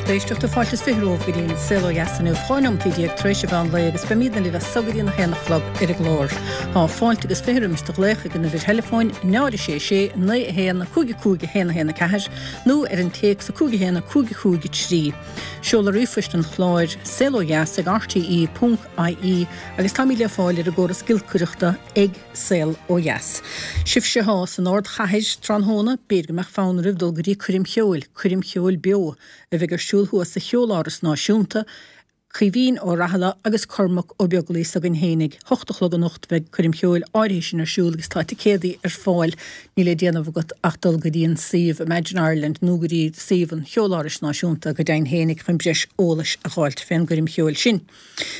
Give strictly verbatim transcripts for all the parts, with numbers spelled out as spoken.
lucht éisteachta fáilte is fiche romhaibh go dtí an Saol Ó Dheas inniu, dhá neomat déag tar éis an mheán lae agus beimidne libh as so go dtí an haon a chlog ar an gclár. Tá fáilte agus fiche roimis do ghlaoch ag an uimhir theileafóin náid a sé sé naoi a haon cúig a cúig a haon a haon a ceathair nó ar an téacs a cúig a haon a cúig a cúig a trí. Seoladh ríomhphoist an chláir saol ó dheas ag rte ponc ie agus táimid le fáil ar an gcóras giolcaireachta ag Saol Ó Dheas. Sibhse atá san ardchathair tráthnóna, b'fhéidir go mbeadh fonn oraibh dul go dtí coirm cheoil, coirm cheoil beo, a bheidh ar siúl thuas sa Cheoláras Náisiúnta, Caoimhín Ó Raghallaigh agus Cormac Ó Beaglaoich s'againn fhéinig. Hocht a chlog anocht beidh coirm cheoil áirithe sin ar siúl agus tá ticéadaí ar fáil. Níl le déanamh agat ach dul go dtí an suíomh Imagine Ireland nó go dtí suíomh an Cheolárais Náisiúnta go deimhin fhéinig chun breis eolais a dh'fháilt fén gcoirm cheoil sin.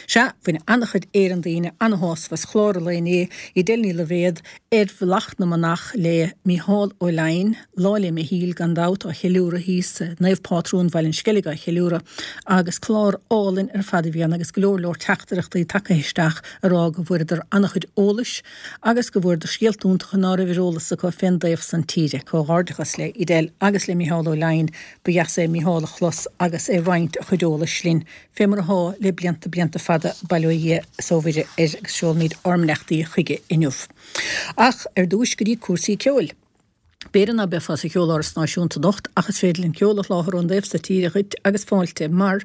Sea, bhain an-chuid Éireann daoine an-shásamh as chlár an lae inné, Edel Ní Loibhéad, ar Bhealach na Manach le Mícheál Ó Leidhin, Lá 'le Michíl gan dabht á cheiliúradh thíos, Naomh Pátrún Bhaile an Sceilg á cheiliúradh, agus clár álainn ar fad a bhí ann agus go leor leor teachtaireachtaí tagtha isteach a rá go bhfuaireadar an-chuid eolais agus go bhfuaireadar scéalta iontacha ná raibh ar eolas acu fén dtaobh san tíre. Comhghairdeachas le Edel agus le Mícheál Ó Leidhin, ba dheas é Mícheál a chlos agus é ag roinnt a chuid eolais linn. Fé mar athá le blianta blianta fada, bail ó Dhia is ó Mhuire air agus seolaimid ár mbeannachtaí chuige inniu. Ach ar dtúis go dtí cúrsaí ceoil. B'fhéidir ná beifeá sa Cheoláras Náisiúnta anocht ach is féidir linn ceol a sholáthar ón dtaobh so tíre dhuit agus fáilte mar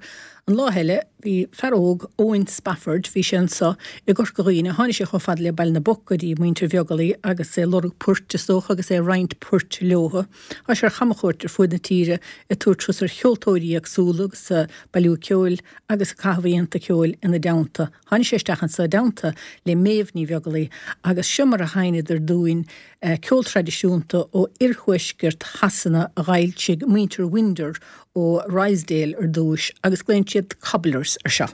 an lá eile bhí fear óg, Eoin Spafford, bhí sé anso i gCorca Dhuibhne, tháinig sé chomh fada le Baile na bPoc go dtí muintir Bheaglaoich agus é ag lorg poirt is dócha agus é ag roinnt poirt leothu. Tá sé ar chamchuairt ar fuaid na tíre ag tabhairt turas ar cheoltóirí éagsúla agus ag bailiú ceoil agus ag caitheamh oícheanta ceoil ina dteannta. Tháinig sé isteach anso i dteannta le Méabh Ní Bheaglaoich agus seo mar a sheinneadar dúinn ceol traidisiúnta ó oirthuaisceart Shasana a dh'fhoilsigh muintir Winder ó Ruislip ar dtúis agus glaonn siad Cobblers ar seo.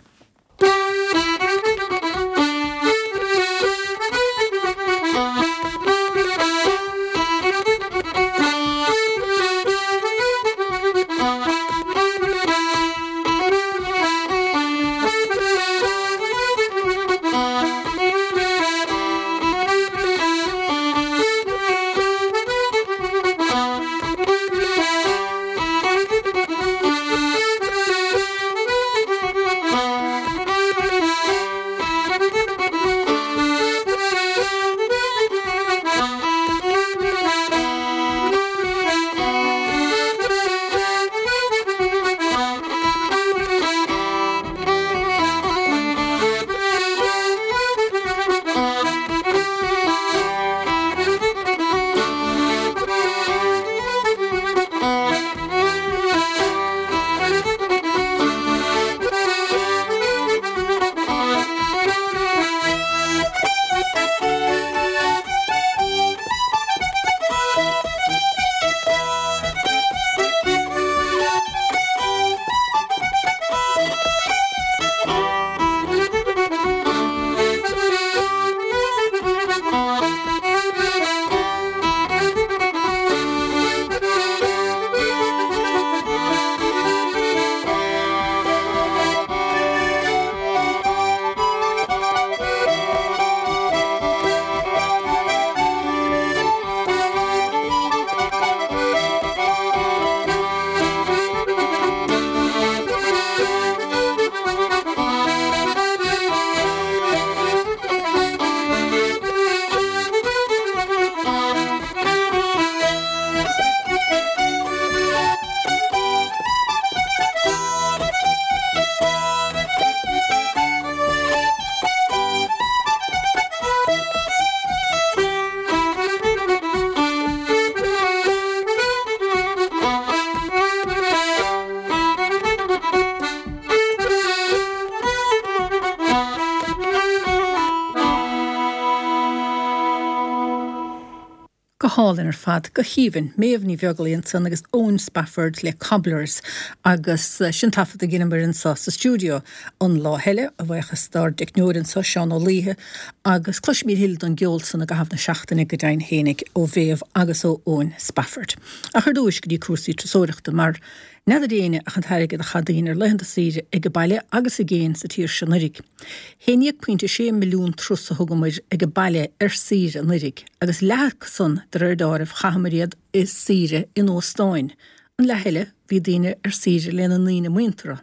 Go hálainn ar fad, go haoibhinn. Méabh Ní Bheaglaoich ansan agus Eoin Spafford le Cobblers agus sin taifead a dheineamar anso sa stiúideo an lá eile, a bhuíochas dár dteicneoir anso, Seán Ó Laoithe, agus cloisfimid a thuilleadh den gceol san i gcaitheamh na seachtaine go deimhin fhéinig ó Mhéabh agus ó Eoin Spafford. Ach ar dtúis go dtí cúrsaí turasóireachta mar N'fheadar éinne ach an t-airgead a chaith daoine ar laethanta saoire ag baile agus i gcéin sa tír seo anuiridh. Haon déag pointe sé milliún turas a thugamair ag baile ar saoire anuiridh, agus leath acu san de réir deáraimh chaitheamair iad i saoire in óstáin, An leath eile, bhí daoine ar saoire lena ndaoine muinteartha.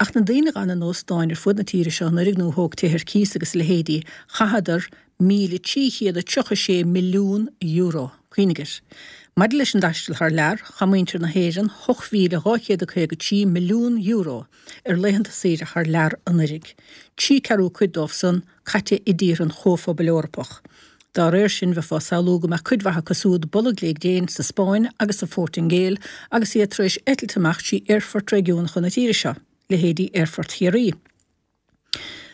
Ach na daoine a d'fhan in óstáin ar fud na tíre seo anuraidh nó a thóg tithe ar cíos agus a leithéidí, chaitheadar míle trí chéad a tríocha sé milliún euro. Cuimhnigh air. Maidir leis an dtaisteal thar lear, chaith muintir na hÉireann ocht mhíle dhá chéad a caoga trí milliún euro ar laethanta saoire thar lear anuraidh, trí ceathrú cuid dóibh san caite i dtíortha an Chomhphobail Eorpach. Dá réir sin, bheifeá ag samhlú go mbeadh cuid mhaith acu siúd bolg lé gréin sa Spáinn agus sa Phortaingéil agus iad tar éis eitilt amach trí aerfoirt réigiúnacha na tíre seo, leithéidí Aerfort Chiarraí.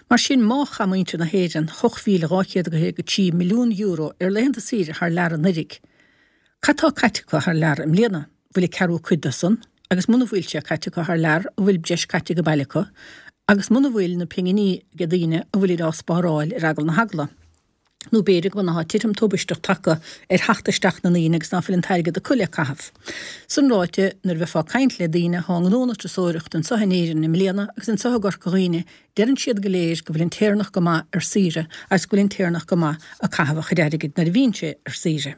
Mar sin, má chaith muintir na hÉireann ocht mhíle dhá chéad a caoga trí milliún euro ar laethanta saoire thar lear anuraidh, cad tá caite acu thar lear i mbliana? Bhfuil a ceathrú cuid de san? Agus muna bhfuil sé caite acu thar lear, an bhfuil breis caite ag baile acu? Agus muna bhfuil na pinginí ag daoine, an bhfuilid á spáráil ar eagal na heagla? Nó b'fhéidir go bhfuil titim tubaisteach tagtha ar theacht isteach na ndaoine agus ná fuil an t-airgead acu le caitheamh. Sin ráite, nuair a bheifeá ag caint le daoine atá i ngnó na turasóireachta anseo in Éirinn i mbliana agus anseo i gCorca Dhuibhne, deireann siad go léir go bhfuil an tÉireannach go maith ar saoire agus go bhfuil an tÉireannach go maith ag caitheamh a chuid airgid nuair a bhíonn sé ar saoire.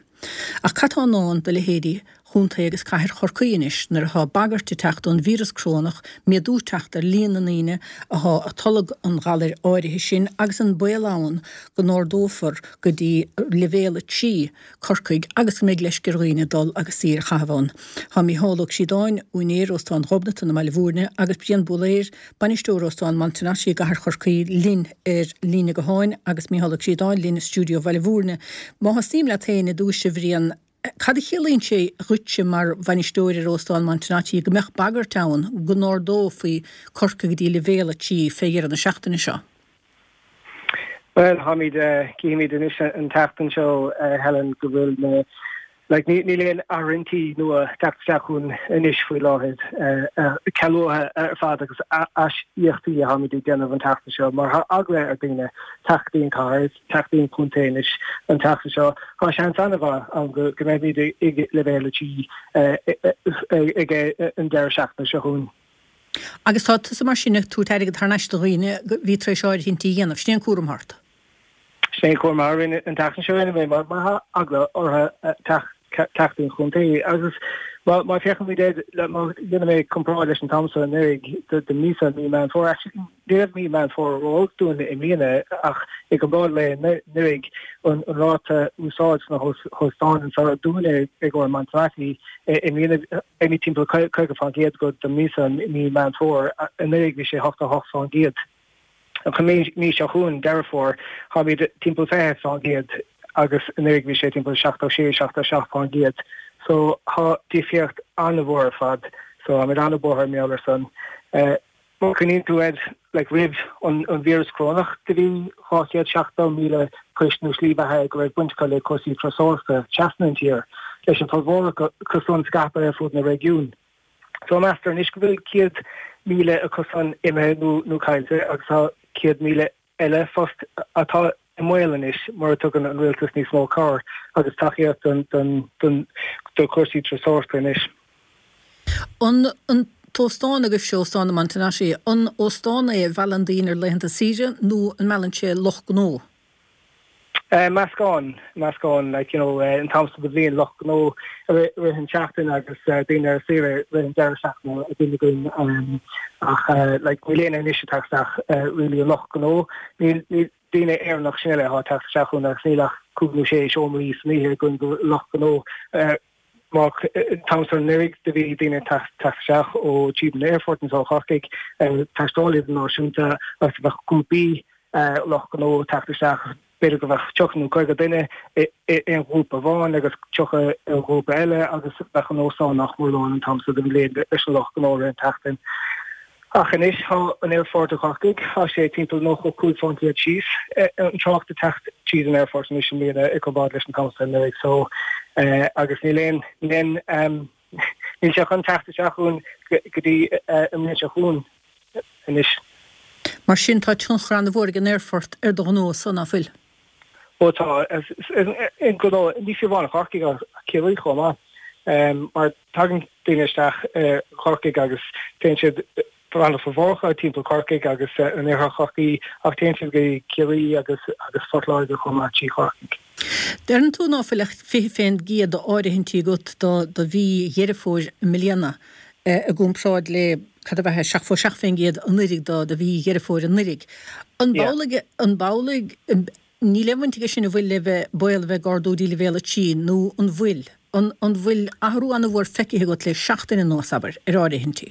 Ach cad tá i ndán do leithéidí Chontae agus Cathair Chorcaí anois nuair atá bagairt ag teacht ón víreas corónach, méadú ag teacht ar líon na ndaoine atá ag tolg an ghalair áirithe sin agus an baol ann go n-ardófar go dtí leibhéal a trí Corcaigh agus go mbeidh leisce ar dhaoine dul agus saoire a chaitheamh ann. Tá Mícheál Ó Críodáin, úinéir Óstán Ghobnatan i mBaile Bhúirne agus Brian Búlaeir, bainisteoir Óstán Montenotte i gCathair Chorcaí linn ar líne gutháin agus Mícheál Ó Críodáin linn i stiúideo Bhaile Bhúirne. Má thosaím leat féin i dtús, a Bhriain, cad a chiallaíonn sé dhuitse mar bhainisteoir ar Óstán Montenotte go mbeadh bagairt ann go n-ardófaí Corcaigh go dtí leibhéal a trí fé dheireadh na seachtaine seo? Bhuel, táimid, cífimid anois an tseachtain seo, Helen, go bhfuil na, like, níl aon áirithintí nua ag teacht isteach chugainn anois faoi láthair, cealuithe ar fad agus aisíocaíochtaí a tháimid ag déanamh an tseachtain seo mar tá eagla ar daoine teacht go dtí an chathair, teacht go dtí an contae anois an tseachtain seo. Tá seans an-mhaith ann go mbeimid ag leibhéal a trí ag an deireadh seachtaine seo chugainn. Agus tá tusa mar sin ag tabhairt airgead thar n-ais do dhaoine a bhí tar éis áirithintí a dhéanamh. Sin é an cúram ort. Sin é an cúram orainn an tseachtain seo rinne mé mar tá eagla orthu teacht go dtí an chontae agus má féachaimid air má dhéanann mé comparáid leis an t-am seo anuraidh don mhí seo mí Meán Fómhair actually ní raibh mí Meán Fómhair ró-olc dúinn i mbliana ach i gcomparáid le anuraidh an ráta úsáid sna hóstáin anseo dúinne i gcomhair Montenotte i mbliana beimid timpeall caoga faoin gcéad go don mhí seo mí Meán Fómhair anuraidh bhí sé ochtó a hocht faoin gcéad. An mhí seo chugainn, Deireadh Fómhair, táimid timpeall fiche faoin gcéad agus anuraidh bhí sé timpeall seachtó sé, seachtó seacht faoin gcéad. So tá difríocht an-mhór ar fad. So táimid an-bhuartha mar gheall ar san. Má chuimhníonn tú air, like roimh an an víreas corónach do bhí dhá chéad seachtó míle poist nó slí bheatha go raibh baint acu le cúrsaí turasóireachta trasna an tír, leis an formhór acu san scaipthe ar fud na réigiún. So meastar anois go bhfuil céad míle acu san imithe nó nó caillte agus tá céad míle eile post atá i mbaol anois mura dtugann an rialtas níos mó cabhair agus tacaíocht don don don do chúrsaí turasóireachta anois. An an t-óstán agaibhse, Óstán na Montenotte, an óstán é a mheallann daoine ar laethanta saoire nó an meallann sé lucht gnó? Meascán, meascán, like, you know, an t-am seo de bhliain, lucht gnó i rith an tseachtain agus daoine ar saoire i rith an deireadh seachtaine a bhíonn againn ach like níl éinne anois ag teacht isteach really an lucht gnó, níl, níl daoine Éireannach sin uile atá ag teacht isteach chugainn agus níl ach cúig nó sé seomraí san oíche againn do lucht gnó. Má an t-am seo anuraidh do bhí daoine ag teacht isteach ó tríd an aerfort anseo i Chorcaigh, taistealaithe idirnáisiúnta agus bheadh grúpaí lucht gnó ag teacht isteach, b'fhéidir go mbeadh tríocha nó caoga duine i aon ghrúpa amháin agus tríocha i ngrúpa eile agus bheadh an óstán nach mór lán an t-am seo den bhliain leis an lucht gnó i rith an tseachtain. Ach anois tá an aerfort i gCorcaigh, tá sé timpeall nócha cúig faoin gcéad síos an trácht ag teacht tríd an aerfort anois i mbliana i gcomparáid leis an t-am seo anuraidh so agus níl aon, níl aon, níl sé chun teacht isteach chugainn go dtí an mbliain seo chugainn anois. Mar sin tá tionchar an-mhór ag an aerfort ar do ghnó-sa, ná fuil? Ó tá, an gnó, ní fiú amháin Corcaigh ach Ciarraí chomh maith, mar tagann daoine isteach i Corcaigh agus téann siad fanann formhór acu timpeall Corcaigh agus in oirthear Chorcaí ach téann siad go Ciarraí agus agus Phort Láirge chomh maith trí Chorcaigh. Deireann tú ná fuil ach fiche fén gcéad d'áirithintí agat do do mhí Dheireadh Fómhair i mbliana i gcomparáid le cad a bheadh seachtó seacht fén gcéad anuraidh do do mhí Dheireadh Fómhair anuraidh. An b'amhlaidh an b'amhlaidh níl aon bhaint aige sin an bhfuil le bheith baol a bheith ag ardú dtí leibhéal a trí nó an bhfuil? An an bhfuil athrú an-mhór feicthe agat le seachtain anuas, abair, ar áirithintí?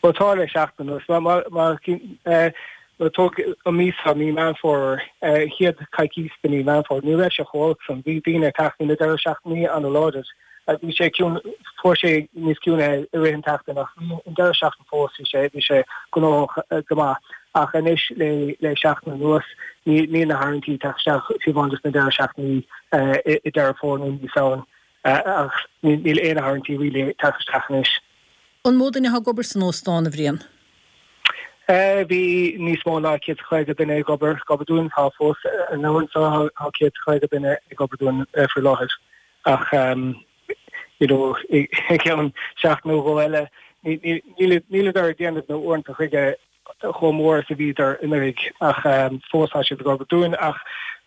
Bhuel tá le seachtain anuas. Má má má tóg an mí seo, mí Meán Fómhair, an chéad coicís de mí Meán Fómhair, ní raibh sé chomh holc san. Bhí daoine ag teacht, bhí na deireadh seachtainí an-láidir. Bhí sé ciúin, fuair sé níos ciúine i rith an tseachtain ach bhí an deireadh seachtain fós, bhí sé bhí sé gnóthach go maith. Ach anois le le seachtain anuas, ní níl na háirithintí ag teacht isteach fiú amháin dos na deireadh seachtainí i Deireadh Fómhair nó mí Samhain. Ach níl aon áirithintí really ag teacht isteach anois. An mó duine atá ag obair san óstán, a Bhriain? Bhí níos mó ná céad is caoga duine ag obair ag obair dúinn. Tá fós an uair seo tá céad is caoga duine ag obair dúinn faoi láthair. Ach you know i gceann seachtain nó dhó eile níleadar ag déanamh na uaireanta chuige chomh mór is a bhíodar anuraidh ach fós tá siad ag obair dúinn. Ach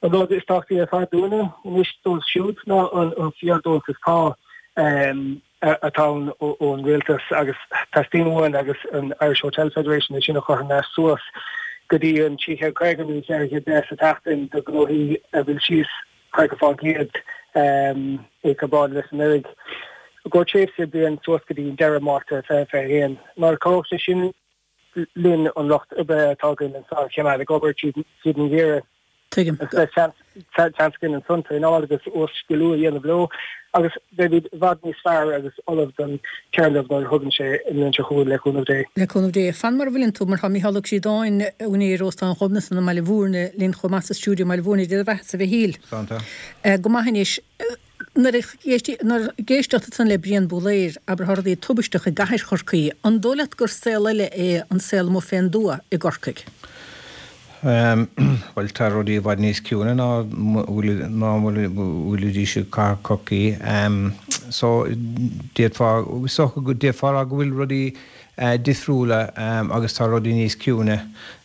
an rud is tábhachtaí ar fad dúinne anois dóibh siúd ná an fíordheontas pá atá ann ón rialtas agus teastaíonn uainn agus an Irish Hotel Federation é sin a chur thar n-ais suas go dtí an trí chéad caoga nó ceithre chéad deich sa tseachtain do ghnóthaí a bhfuil síos caoga fán gcéad i gcomparáid leis anuraidh. I gcomhair tréimhse bliain suas go dtí deireadh Márta fiche fiche a haon. Mar cabhróidh sé sin linn an lucht oibre atá againn anseo a choimeád ag obair tríd an gheimhreadh. Tuigim. Beidh seans againn ansan traenáil agus uas-sciliú a dhéanamh leo agus beimid i bhfad níos fearr agus ullamh don téarnamh nuair a thugann sé i mbliain seo chugainn, le cúnamh Dé. Le cúnamh Dé. Fan mar a bhfuileann tú, mar tá Mícheál Ó Críodáin, úinéir Óstán Ghobnatan i mBaile Bhúirne, linn chomh maith sa stiúideo i mBaile Bhúirne. Dia do bheatha-sa, a Mhichíl. Slán tá. Go maith anois. Nuair a d'éisteacht ansan le Brian Búlaeir, abair tá rudaí tubaisteach i gcathair Chorcaí, an dóigh leat gur saol eile é an saol amuigh fén dtuath i gCorcaigh? Bhuel, tá rudaí i bhfad níos ciúine ná ná bhfuilidís i gcathair Chorcaí. So, d'fhéadfá, is dócha go d'fhéadfá a rá go bhfuil rudaí difriúla agus tá rudaí níos ciúine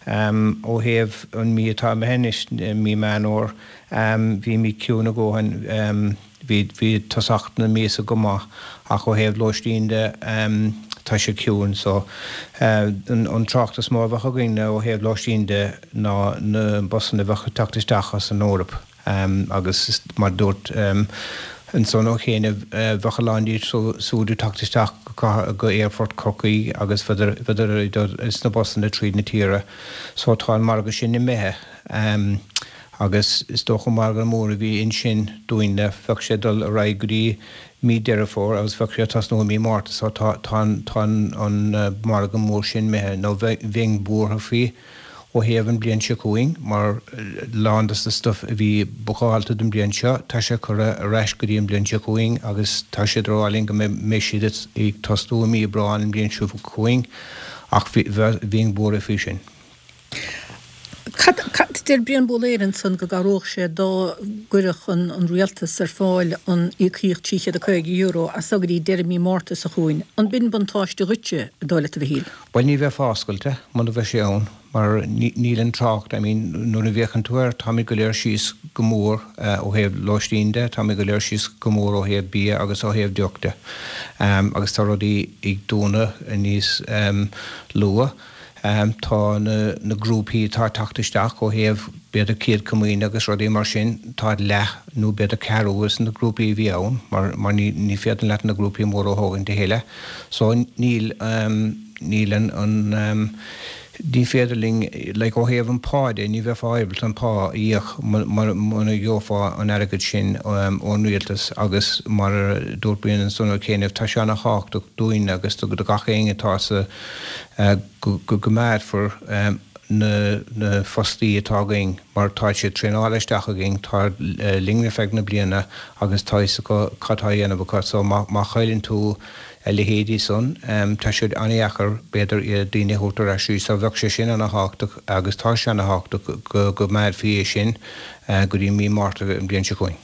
ó thaobh an mí atá imithe anois, mí Meán Fhómhair. Bhí mí ciúin a dhóthain, bhí bhí tosach na míosa go maith ach ó thaobh lóistín de tá sé ciúin so an trácht is mó a bheadh againn ó thaobh lóistín de ná na busanna a bheadh ag teacht isteach as an Eoraip agus mar a dúirt ansan ó chianaibh bheadh a lán díobh siúd ag teacht isteach go Aerfort Chorcaí agus bheadar ag dul sna busanna tríd na tíre so tá an margadh sin imithe agus is dócha margadh mór a bhí ansin dúinne bheadh sé ag dul ar aghaidh go dtí mí Deireadh Fómhair agus bheadh sé ag tosnú i mí Márta so tá tá an margadh mór sin imithe nó bheinn buartha faoi ó thaobh an bliain seo chugainn mar lán de na stuif a bhí bookáilte don bliain seo tá sé curtha ar ais go dtí an bliain seo chugainn agus tá siad ag rá linn go mbeidh siad ag tosnú i mí Aibreán an bliain seo chugainn ach bheinn buartha faoi sin. Cad, cad, deir Brian Búlaeir ansan go gcabhródh sé dá gcuirfeadh an, an rialtas ar fáil an íocaíocht trí chéad a caoga euro as so go dtí deireadh mí Márta seo chugainn. An b'in buntáiste dhuitse, an dóigh leat, a Mhichíl? Bhuel, ní bheifeá oscailte muna bheadh sé ann mar níl an trácht, I mean, nuair a bhféachann tú air, táimid go léir síos go mór ó thaobh lóistín de, táimid go léir síos go mór ó thaobh bia agus ó thaobh deoch de agus tá rudaí ag dúnadh níos luath. Tá na grúpaí atá ag teacht isteach ó thaobh b'fhéidir Céad Comaoine agus rudaí mar sin, táid leath nó b'fhéidir ceathrú as na grúpaí a bhí ann mar mar ní ní féidir leat na grúpaí móra a thógaint a thuilleadh. So níl níl an an ní féidir linn like ó thaobh an pá de ní bheifeá ábalta an pá a íoc muna gheofá an airgead sin ón rialtas agus mar a dúirt Brian ansan ó chianaibh tá sé ana-thábhachtach dúinn agus do gach éinne atá sa go gcoimeádfar na fostaí atá againn mar tá siad traenáilte isteach againn, tá linn ar feadh na bliana agus tá fhios acu cad tá á dhéanamh acu so má chailleann tú a leithéidí san tá sé an-dheacair b'fhéidir daoine a thabhairt ar ais so bheadh sé sin ana-thábhachtach agus tá sé ana-thábhachtach go gcoimeádfaí é sin go dtí mí Márta an bhliain seo chugainn.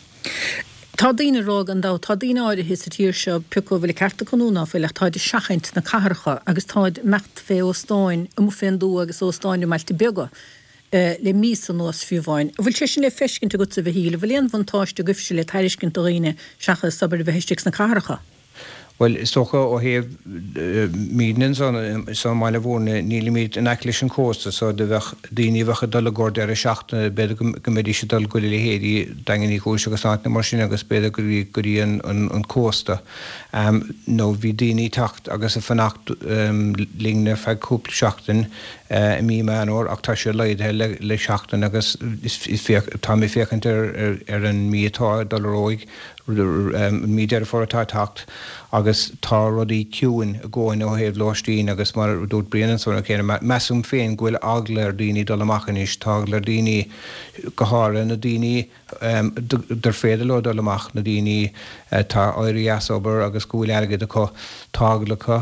Tá daoine ag rá gan dabht, tá daoine áirithe sa tír seo, pé acu an bhfuil an ceart acu nó ná fuil, ach táid ag seachaint na cathracha agus táid ag imeacht fé óstáin amuigh fén dtuath agus óstáin i mbailte beaga. le míosa anuas fiú amháin. An bhfuil sé sin le feiscint agatsa a Mhichíl? An bhfuil aon bhuntáiste agaibhse le tairiscint do dhaoine seachas abair a bheith istigh sna cathracha? Bhuel, is dócha ó thaobh muidne ansan i mBaile Bhúirne, nílimid in aice leis an cósta so do bheadh daoine a bheadh ag dul i gcomhair deireadh seachtaine, b'fhéidir go mbeidís ag dul go dtí leithéidí Daingean Uí Chúis agus áiteanna mar sin agus b'fhéidir go dtí an cósta. Nó bhí daoine ag teacht agus ag fanacht linn ar feadh cúpla seachtain i mí Meán Fhómhair ach tá sé laghdaithe le seachtain agus tá mé ag féachaint ar an mí atá ag dul ar aghaidh, mí Deireadh Fómhair atá ag teacht agus tá rudaí ciúin i gcónaí ó thaobh lóistín agus mar a dúirt Brian ansan an céanna, measaim féin go bhfuil eagla ar dhaoine dul amach anois, tá eagla ar dhaoine, go háirithe na daoine dar féidir leo dul amach, na daoine atá éirithe as obair agus go bhfuil airgead acu, tá eagla acu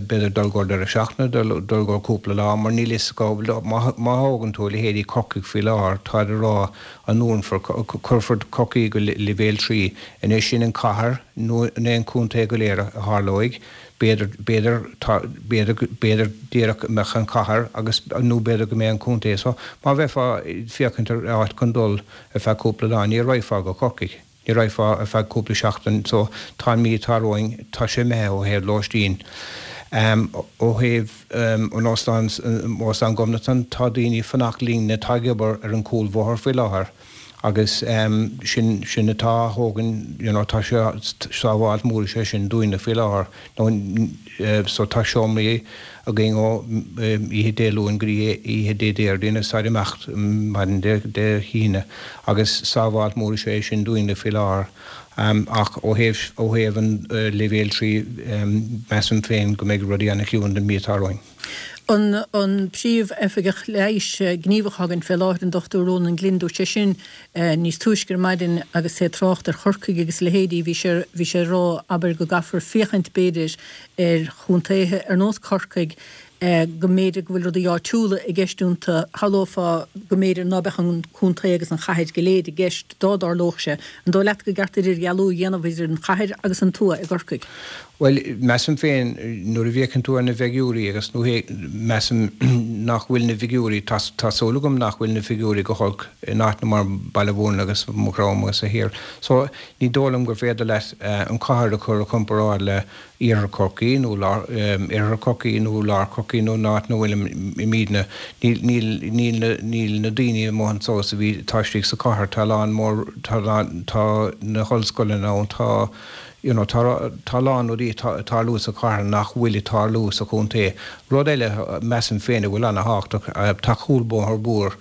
b'fhéidir dul go deireadh seachtaine, dul go cúpla lá mar níl fhios acu, má thógann tú leithéidí Corcaigh faoi láthair, táid ag rá an ndúnfar, cuirfear Corcaigh go leibhéal trí. Anois sin an cathair nó an contae go léir a tharlóidh, b'fhéidir, b'fhéidir, tá, b'fhéidir, b'fhéidir díreach go mbeadh an cathair agus, nó b'fhéidir go mbeidh an contae. So má bheifeá ag féachaint ar áit chun dul ar feadh cúpla lá, ní raghfá go Corcaigh. Ní raghfá ar feadh cúpla seachtain. So tá an mí atá romhainn, tá sé imithe ó thaobh lóistín. Ó thaobh an óstáin, Óstán Ghobnatan, tá daoine ag fanacht linn atá ag obair ar an gcúlbhóthar faoi láthair agus sin, sin atá á thógaint, you know, tá sé, sábháilt mór is ea sin dúinne faoi láthair. Nó, so tá seomraí againn ó oíche Dé Luain go dtí oíche Dé Déardaoin agus táid ag imeacht maidin Dé hAoine agus sábháilt mór is ea é sin dúinne faoi láthair. Ach ó thaobh, ó thaobh an leibhéal trí, measaim féin go mbeidh rudaí ana-chiúin don mhí atá romhainn. An an Príomh-Oifigeach Leighis gníomhach againn fé láthair, an Dochtúir Rónán Glynn, dúirt sé sin níos túisce ar maidin agus é ag trácht ar Chorcaigh agus a leithéidí, bhí sé, bhí sé ag rá, abair, go gcaithfear féachaint, b'fhéidir, ar chontaetha ar nós Corcaigh, go mb'fhéidir go bhfuil rudaí áitiúla i gceist iontu, shamhlófá go mb'fhéidir ná beadh an contae agus an chathair go léir i gceist dá dtarlódh sé. An dóigh leat go gceart idirdhealú a dhéanamh idir an chathair agus an tuath i gCorcaigh? Bhuel, measaim féin, nuair a bhféachann tú ar na bhfigiúirí agus nó measaim nach bhfuil na bhfigiúirí, tá tá súil agam nach bhfuil na figiúirí go holc in áiteanna mar Baile Bhúirne agus Maigh Chromtha agus a thiar. So, ní dóigh liom gur féidir leat an chathair a chur i gcomparáid le Iarthar Chorcaí nó lár, Oirthear Chorcaí nó Lár Chorcaí nó an áit ina bhfuilimidne. Níl, níl, níl na, níl na daoine amuigh anso is a bhí, atá istigh sa chathair. Tá a lán mór, tá a lán, tá na hollscoileanna ann, tá, you know, tá, tá a lán rudaí ag tarlú sa chathair nach bhfuil ag tarlú sa chontae. Rud eile, measaim féin, a bhfuil ana-thábhachtach, tá cúlbhóthar mhór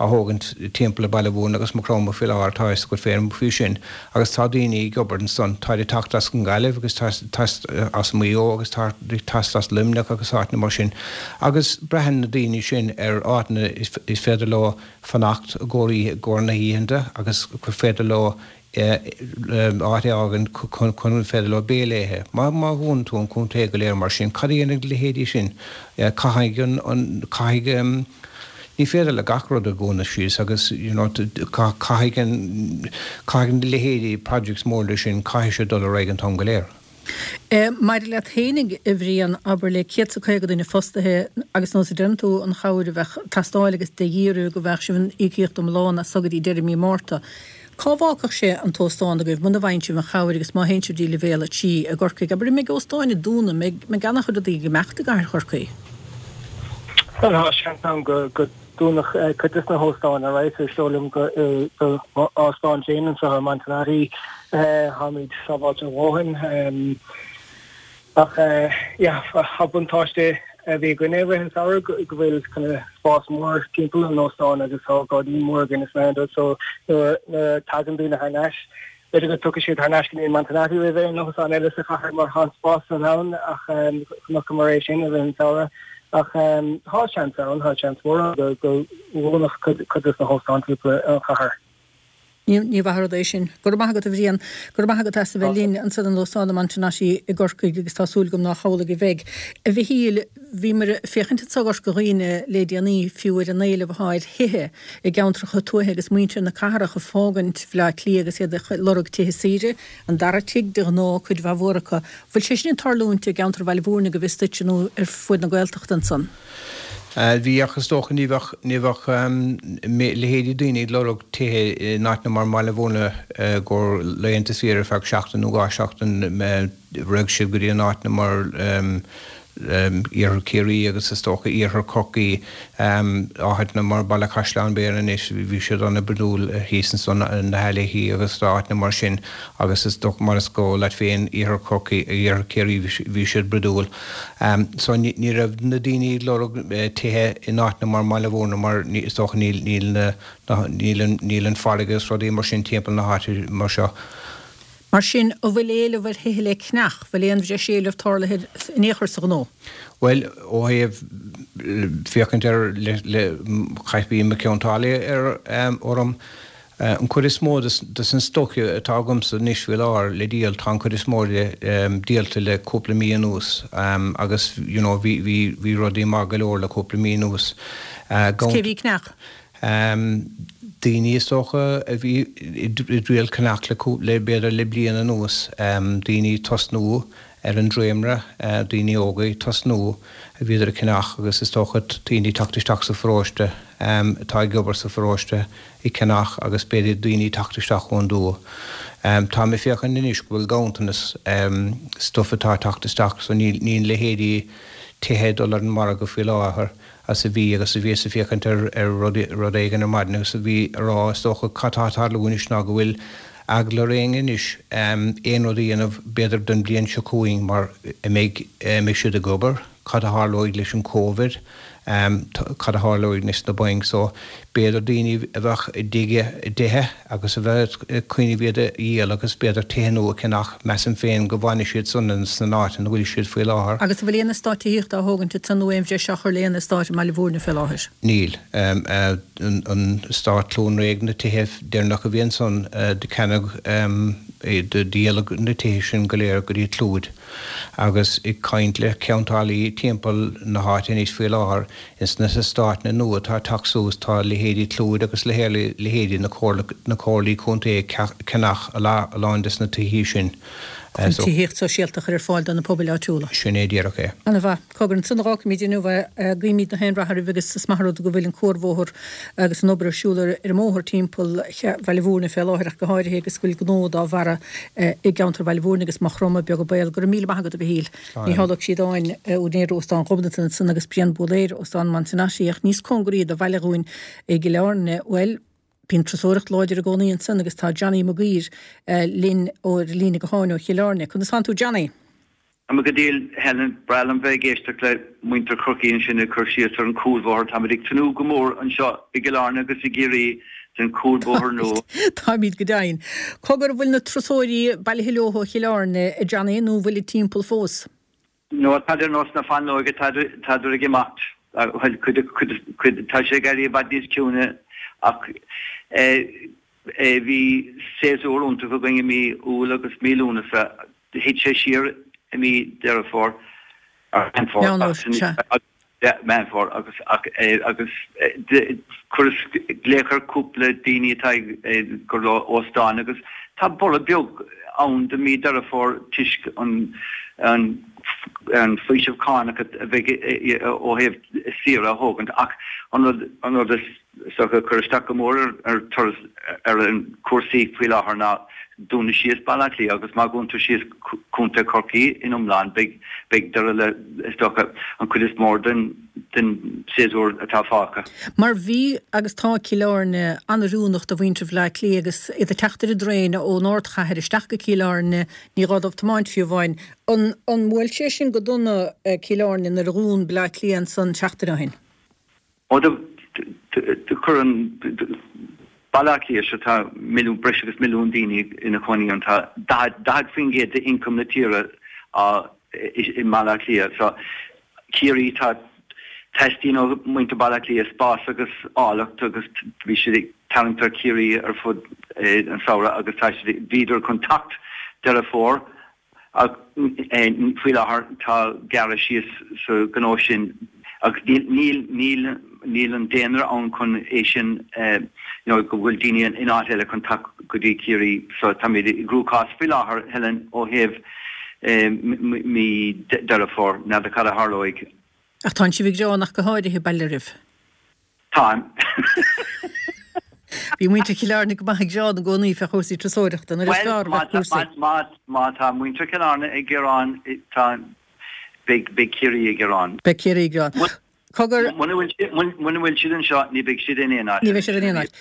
á thógaint timpeall ar Baile Bhúirne agus Maigh Chromtha faoi láthair, tá a fhios agat féin faoi sin, agus tá daoine ag obair ansan, táid ag teacht as an nGaillimh agus teacht as Maigh Eo agus ag teacht as Luimneach agus áiteanna mar sin agus braitheann na daoine sin ar áiteanna is féidir leo fanacht i gcomhair na hoícheanta agus gur féidir leo áit a fhágaint chun gur féidir leo béile a ithe. Má dhúnann tú an contae go léir mar sin, cad a dhéanfaidh leithéidí sin? Caithfidh an, caithfidh, ní féidir le gach rud a dhúnadh síos agus you know caithfidh an, caithfidh na leithéidí projects móra sin, caithfidh siad dul ar aghaidh an t-am go léir. Maidir leat fhéinig, a Bhriain, abair le céad 's a caoga duine fostaithe agus nós a deireann tú, an chabhair a bheadh ag teastáil agus de dhíth oraibh go bhfaigheadh sibh an íocaíocht iomlán as so go dtí deireadh mí Márta. Cá bhfágfadh sé an t-óstán agaibh muna bhfaigheann sibh an chabhair agus má théann sibh dtí leibhéal a trí i gCorcaigh? Abair, an mbeidh óstáin ag dúnadh, an mbeidh an-chuid rudaí ag imeacht i gcathair Chorcaí? Bhuel, tá seans ann go dúnfadh cuid de na hóstáin, alright, is dóigh liom go do m'óstán féin anseo i Montenotte, táimid sábháilte a dhóthain. Ach yeah, tá buntáiste a bhí againne i rith an samhradh go bhfuil kind of spás mór timpeall an óstáin agus tá gairdín mór againn is mar so nuair a tagann daoine thar n-ais, b'fhéidir go dtiocfaidh siad thar n-ais go dtí an Montenotte roimh aon óstán eile sa chathair mar tá an spás san ann ach chonaiceamar é sin i rith an samhradh. Ach tá seans ann, tá seans mór ann go ndúnfadh cuid de na hóstáin timpeall an chathair. Ní mhaith an rud é sin. Go raibh maith agat a Bhriain. Go raibh maith agat as a bheith linn ansan in Óstán na Montenotte i gCorcaigh agus tá súil agam nách amhlaidh a bheidh. A Mhichíl, bhíomar ag féachaint anso i gCorca Dhuibhne le déanaí fiú ar an éileamh atá ar thithe i gceantracha tuaithe agus muintir na cathrach ag fágaint Bhaile Átha Cliath agus iad ag lorg tithe saoire, an dara tigh de ghnáth, cuid mhaith mhór acu. Bhfuil sé sin ag tarlúint i gceantar Bhaile Bhúirne go bhfios duitse nó ar fuaid na Gaeltachta ansan? Bhí ach is dócha ní bheadh, ní bheadh leithéidí daoine ag lorg tithe in áiteanna mar mBaile Bhúirne i gcomhair laethanta saoire ar feadh seachtain nó dhá sheachtain, raghadh siad go dtí in áiteanna mar Iarthar Ciarraí agus is dócha Iarthar Chorcaí, áiteanna mar Baile Chaisleáin Bhéarra anois, bhí siad an-bhroidiúil thíos ansan, na hAilleachaí agus áiteanna mar sin agus is dócha mar is eol leat féin Iarthar Chorcaí, Iarthar Ciarraí bhí siad broidiúil. So ní raibh na daoine ag lorg tithe in áiteanna mar mBaile Bhúirne mar is dócha níl níl na níl an níl an farraige agus rudaí mar sin timpeall na háite mar seo. Mar sin, an bhfuil éileamh ar thithe le ceannach, bhfuil aon bhreis éilimh tarlaithe in aon chor sa ghnó? Bhuel, ó thaobh féachaint ar le le chaith bhí mo cheantálaí ar orm An chuid is mó de an stoc atá agamsa anois faoi láthair le díol, tá an chuid is mó de díolta le cúpla mí anuas agus you know bhí bhí bhí rudaí maith go leor le cúpla mí anuas. Cé bhí ag ceannach? Daoine is dócha a bhí i dtriail ceannach le le b'fhéidir le bliain anuas, daoine ag tosnú ar an dréimire, daoine óga ag tosnú a bhíodar ag ceannach agus is dócha daoine ag teacht isteach sa pharóiste, atá ag obair sa pharóiste ag ceannach agus b'fhéidir daoine ag teacht isteach ón dtuath. Táim ag féachaint anois go bhfuil ganntanas stuif atá ag teacht isteach so níl níl leithéidí tithe ag dul ar an margadh faoi láthair as a bhí agus a bhíos ag féachaint ar ar rud rud éigin ar maidin agus a bhí a rá is dócha cad tá ag tarlú anois ná go bhfuil eagla ar éinne anois aon rud a dhéanamh b'fhéidir don bhliain seo chugainn mar an mbeidh mbeidh siad ag obair, cad a tharlóidh leis an Covid, cad a tharlóidh leis na bainc so b'fhéidir daoine a bheadh i dtithe agus a bheadh ag cuimhneamh iad a dhíol agus b'fhéidir tithe nua a cheannach, measaim féin go bhfanfaidh siad san sna áiteanna ina bhfuil siad faoi láthair. Agus an bhfuil aon eastát tithíochta á thógaint ansan nó aon bhreis á chur le aon eastát i mBaile Bhúirne fé láthair? Níl. An eastát Cluain Réidh, na tithe deireanacha a bhí ansan, do ceannaíodh, do díoladh na tithe sin go léir go dtí Clúid. Agus ag caint le ceantálaí timpeall na háite anois faoi láthair, ins na heastáiteanna nua atá ag teacht suas, tá leithéidí Clúid agus leithéidí na comhairlí contae ag ceannach a lán des na tithí sin. Chun tithíocht sóisialta a chur ar fáil do na pobail áitiúla. Sin é díreach é. Ana-mhaith. Cogar, ansan a dh'fhágfaimid inniu é. Guímid gach aon rath oraibh agus is maith an rud go bhfuil an cuarbhóthar agus an obair ar siúl ar an mbóthar timpeall Bhaile Bhúirne fé láthair ach go háirithe agus go bhfuil gnó dá bharra i gceantar Bhaile Bhúirne agus Maigh Chromtha beag an baol. Go raibh míle maith agat a Mhichíl. Mícheál Ó Críodáin, úinéir Óstán Ghobnatan ansan agus Brian Búlaeir, Óstán Montenotte ach níos cóngaraí do bhaile dhúinn i gCill Airne. Bhuel, Bíonn turasóireacht láidir i gcónaí ansan agus tá Johnny Mac Uidhir linn ar líne gutháin ó Chill Airne. Conas tánn tú Johnny? Tá mé go diail Helen, breá liom bheith ag éisteacht le muintir Chorcaí ansin ag cur síos ar an cúlbhóthar. Táimid ag tnúth go mór anseo i gCill Airne agus i gCiarraí den cúlbhóthar nua. Táimid go deimhin. Cogar an bhfuil na turasóirí bailithe leo ó Chill Airne, a Johnny, nó an bhfuilid timpeall fós? No, táid ar nós na fáinleoige, tádar ag imeacht. Bhuel, cuid, cuid, cuid, tá sé ag éirí i bhfad níos ciúine ach bhí séasúr iontach againn i mí Iúil agus mí Lúnasa. Thit sé siar i mí Deireadh Fómhair, Meán Fómhair, ach, Meán Fómhair agus, ach, agus chuireas glaoch ar cúpla daoine atá ag ag óstáin agus tá borradh beag ann do mí Deireadh Fómhair toisc an an faoiseamh cánach a bheidh ó thaobh saoire a thógaint ach an rud an rud is dócha a chuir isteach go mór ar turas ar an cúrsaí faoi láthair ná dúnadh síos Baile Átha Cliath agus má dhúntar síos Contae Chorcaí in iomlán beidh beidh deireadh le is dócha an chuid is mór den den séasúr atá fágtha. Mar bhí agus tá Cill Airne an-oiriúnach do mhuintir Bhaile Átha Cliath agus iad ag teacht ar an dtraein ón ardchathair isteach go Cill Airne, ní gá dóibh tiomáint fiú amháin. An an mbuail sé sin go dona Cill Airne nuair a dhún Baile Átha Cliath ansan seachtain ó shin? Ó do do chuir an Baile Átha Cliath seo tá milliún breis agus milliún daoine ina chónaí ann tá daichead daichead faoin gcéad d'ioncam na tíre á i mBaile Átha Cliath. So Ciarraí tá teastaíonn ó mhuintir Baile Átha Cliath spás agus áilleacht agus bhí siad ag tarraingt ar Chiarraí ar fud an samhradh agus tá siad bhíodar chun teacht Deireadh Fómhair ach faoi láthair tá gearradh síos sa ghnó sin agus níl níl níl níl an daonra ann chun é sin you know go bhfuil daoine in áit eile chun teacht go dtí Ciarraí so táimid i gcruachás faoi láthair Helen ó thaobh mí Deireadh Fómhair, n'fheadar cad a tharlóidh. Ach tánn sibh ag gearán ach go háirithe, bail oraibh. Táim. Bhí muintir Chill Airne go maith ag gearán i gcónaí fé chúrsaí turasóireachta nuair is fearr a bheadh cúrsaí. Bhuel, má tá muintir Chill Airne ag gearán, tá, beidh Ciarraí ag gearán. Beidh Ciarraí ag gearán. Cogar. Muna bhfuil siad anseo, ní bheidh siad in aon áit. Ní bheidh siad in aon áit.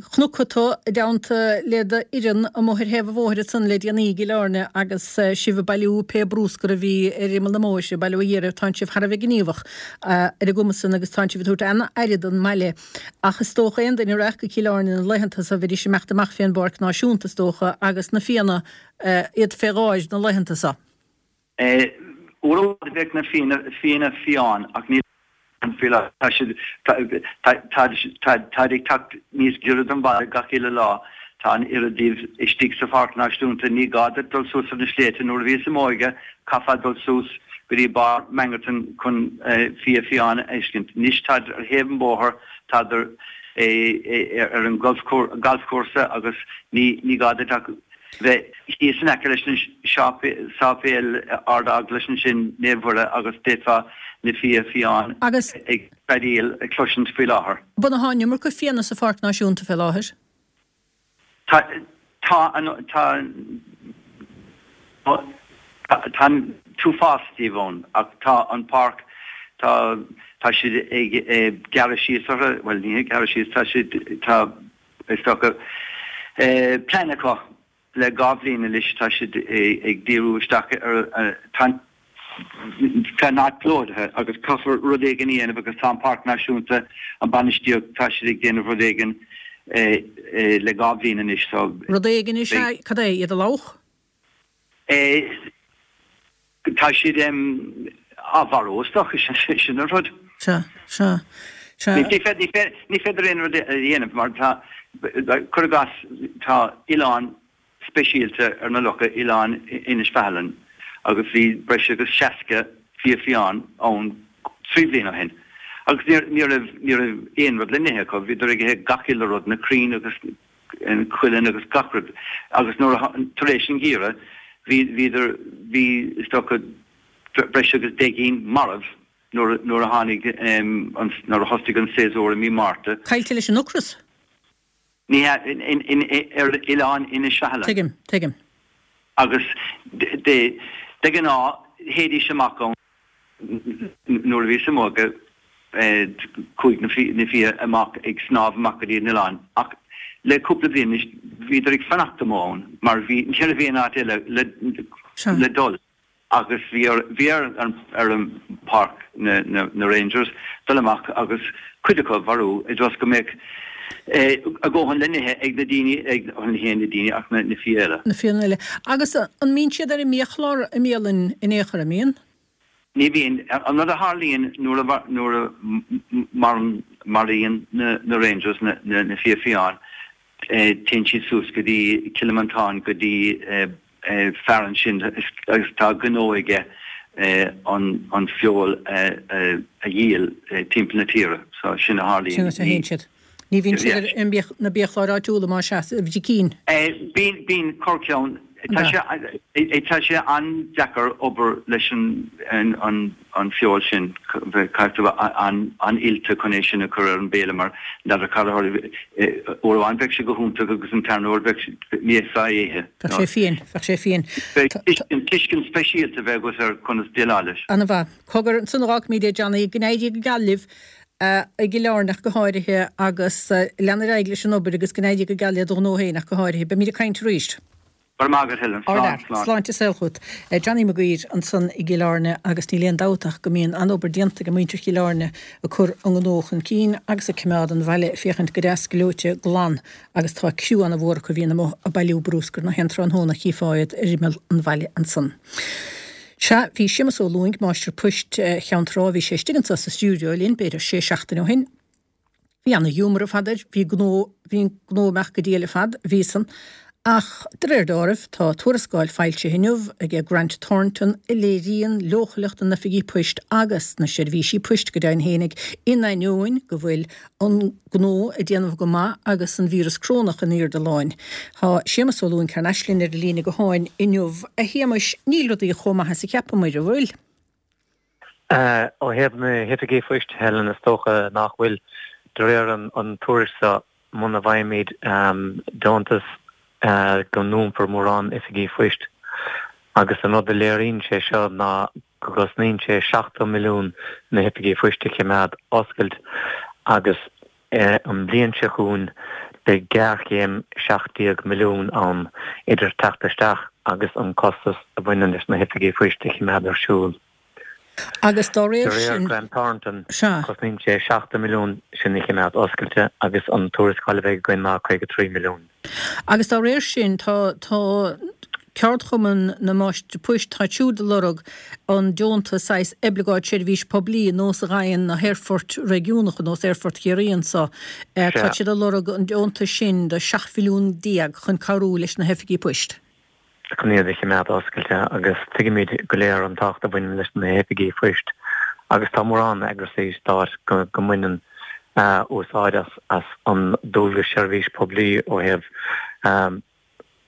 Chonac tú i dteannta le d'fhoireann amuigh ar thaobh an bhóthair ansan le déanaí i gCill Airne agus sibh ag bailiú pé brúscar a bhí ar imeall na mbóithre, bail ó Dhia oraibh, tánn sibh thar a bheith gníomhach ar an gcuma san agus tánn sibh ag tabhairt an-aire don mbaile. Ach is dócha aon duine a rachadh go Cill Airne na laethanta so bheidís ag imeacht amach fén bPáirc Náisiúnta is dócha agus na fianna iad fé gháir na laethanta so. Uair amháin bheadh na fianna fiáin ach níl faoi láthair. Tá siad, táid ag teacht níos giorra don bhaile gach uile lá. Tá an oiread díobh istigh sa Pháirc Náisiúnta. Ní gá duit dul suas ar na sléibhte. Nuair a bhíos i m'óige chaithfeá dul suas go dtí barr Mangerton chun fia fiáin a fheiscint. Anois táid ar thaobh an bhóthair, táid ar an galfchúrsa agus ní gá duit ach bheith thíos in aice leis an Séipéal Ard-Eaglais ansin, Naomh Mhuire agus d'fhéadfá na fia fiáin ag feadaíl a chloisint faoi láthair. Bhuel tá an iomarca fianna sa Pháirc Náisiúnta fé láthair? Tá, tá an, tá, tá an t-uafás díobh ann ach tá an páirc, tá, tá siad ag gearradh síos orthu, bhuel ní ag gearradh síos, tá siad, tá, is dócha, plean acu le dhá bhliain anois, tá siad ag díriú isteach ar, tá an áit plódaithe agus caithfear rud éigin a dhéanamh agus tá an Páirc Náisiúnta, an bainistíocht, tá siad ag déanamh rud éigin le dhá bhliain anois so. Rud éigin is ea, cad é, iad a fhliuchadh? Tá siad á mharú is dócha, sin an rud. Sea, sea, sea. Ní féidir aon rud a dhéanamh mar tá, cuir i gcás, tá oileán speisialta ar na locha, Oileán Inis Faithlinn, agus bhí breis agus seasca fia fiáin ann trí bliana ó shin. Agus ní raibh, ní raibh aon rud le n-ithe acu, bhíodar ag ithe gach uile rud, na crainn agus an cuileann agus gach rud. Agus nuair a, tar éis an gheimhridh, bhí, bhíodar, bhí, is dócha, breis agus deich gcinn marbh nuair, nuair a tháinig an, nuair a thosaigh an séasúr i mí Márta. Caillte leis an ocras? Ní hea, ar oileán Inis Faithlinn. Tuigim, tuigim. Agus de ghnáth, théidís amach ann nuair a bhíos i m'óige, chuaigh na fia amach ag snámh amach go dtí an oileán. Ach le cúpla bliain anois, bhíodar ag fanacht amuigh ann mar bhí, ní raibh aon áit eile le dul. agus bhí ar bhí ar an ar an bpáirc na na na Rangers dul amach agus cuid acu a mharú i dtreo go mbeadh a ndóthain le n-ithe ag na daoine ag bhuel ní hé na daoine ach na na fia eile. Na fianna eile. Agus an mbíonn siad ar an mbiachlár i mbialann in aon chor, an mbíonn? Ní bhíonn. An rud a tharlaíonn nuair a nuair a maraíonn na na Rangers na na fia fiáin téann siad suas go dtí Cill Mhantáin go dtí fear ansin agus tá gnó aige an feoil a dhíol timpeall na tíre. So sin a tharlaíonn. Sin a théann siad. Ní bhíonn siad ar na biachláir áitiúla más ea, a bhicín. Bíonn, bíonn corrcheann. Tá sé, tá sé an-deacair obair leis an an feoil sin, caithfidh tú bheith an-oilte chun é sin a chur ar an mbéile mar n'fheadar cad a tharla, uair amháin bheadh sé go hiontach agus an tarna huair bheadh, ní fhéadfá é a ithe. Bheadh sé fiain, bheadh sé fiain. Tuiscint speisialta a bheith agat ar conas déileáil leis. Ana-mhaith. Cogar, ansan a dh'fhágfaimid é Johnny, go n-éirí go geal libh i gCill Airne ach go háirithe agus lean ar aghaidh leis an obair agus go n-éirí go geal le do ghnó féin ach go háirithe. Beimid ag caint arís. Go raibh maith agat, Helen. Slán, slán. Sláinte is saol chugat. Johnny Maguire ansan i gCill Airne agus níl aon dabht ach go mbíonn an-obair déanta ag muintir Chill Airne ag cur an gnó chun cinn agus ag coimeád an bhaile ag féachaint go deas gleoite glan agus tá criú an-mhór acu a bhíonn amuigh ag bailiú brúscair na haon tráthnóna chífeá iad ar imeall an bhaile ansan. Sea, bhí Séamus Ó Lúing, máistir poist Cheann Trá, bhí sé istigh anso sa stiúideo linn b'fhéidir sé seachtaine ó shin. Bhí ana-ghiúmar ar fad air, bhí gnó, bhí an gnó amach go diail ar fad, bhí san. Ach, de réir dealraimh, tá tuarascáil foilsithe inniu aige Grant Thornton a léiríonn leochaileacht na n-oifigí poist agus na seirbhísí poist go deimhin fhéinig, in ainneoin go bhfuil an gnó ag déanamh go maith agus an víreas crónach in airde láin. Tá Séamus Ó Lúing thar n-ais linn ar an líne gutháin inniu. A Shéamuis, níl rudaí chomh maith is a cheapamair, an bhfuil? Ó thaobh na hoifigí phoist, Helen, is dócha nach bhfuil. De réir an tuairisc seo, muna bhfaighimid deontas go ndúnfar mórán oifigí phoist. Agus an rud a léiríonn sé seo ná go gcosnaíonn sé seachtó milliún na hoifigí phoist a choimeád oscailt agus an bhliain seo chugainn beidh géarchéim seacht déag milliún ann idir teacht isteach agus an costas a bhaineann leis na hoifigí phoist a choimeád ar siúl. Agus dá De réir réir sin, Grant Thornton, sea. cosnaíonn sé seachtó milliún sin a choimeád oscailte agus an tuarascáil a bheidh againn ná caoga trí milliún. Agus dá réir sin, tá, tá Ceardchumann na Máistrí Poist, táid siúd ag lorg an deontas saghas oibleagáid seirbhís poiblí, nós a fhaigheann na haerfoirt réigiúnacha, nós Aerfort Chiarraí anso, tá Sea. siad ag lorg an deontais sin de seacht mhilliún déag chun cabhrú leis na hoifigí poist. chun iad a choimeád oscailte agus tuigimid go léir an tábhacht a bhaineann leis na hoifigí phoist agus tá mórán eagraisí stáit go go mbaineann úsáid as as an dualgas seirbhís poiblí ó thaobh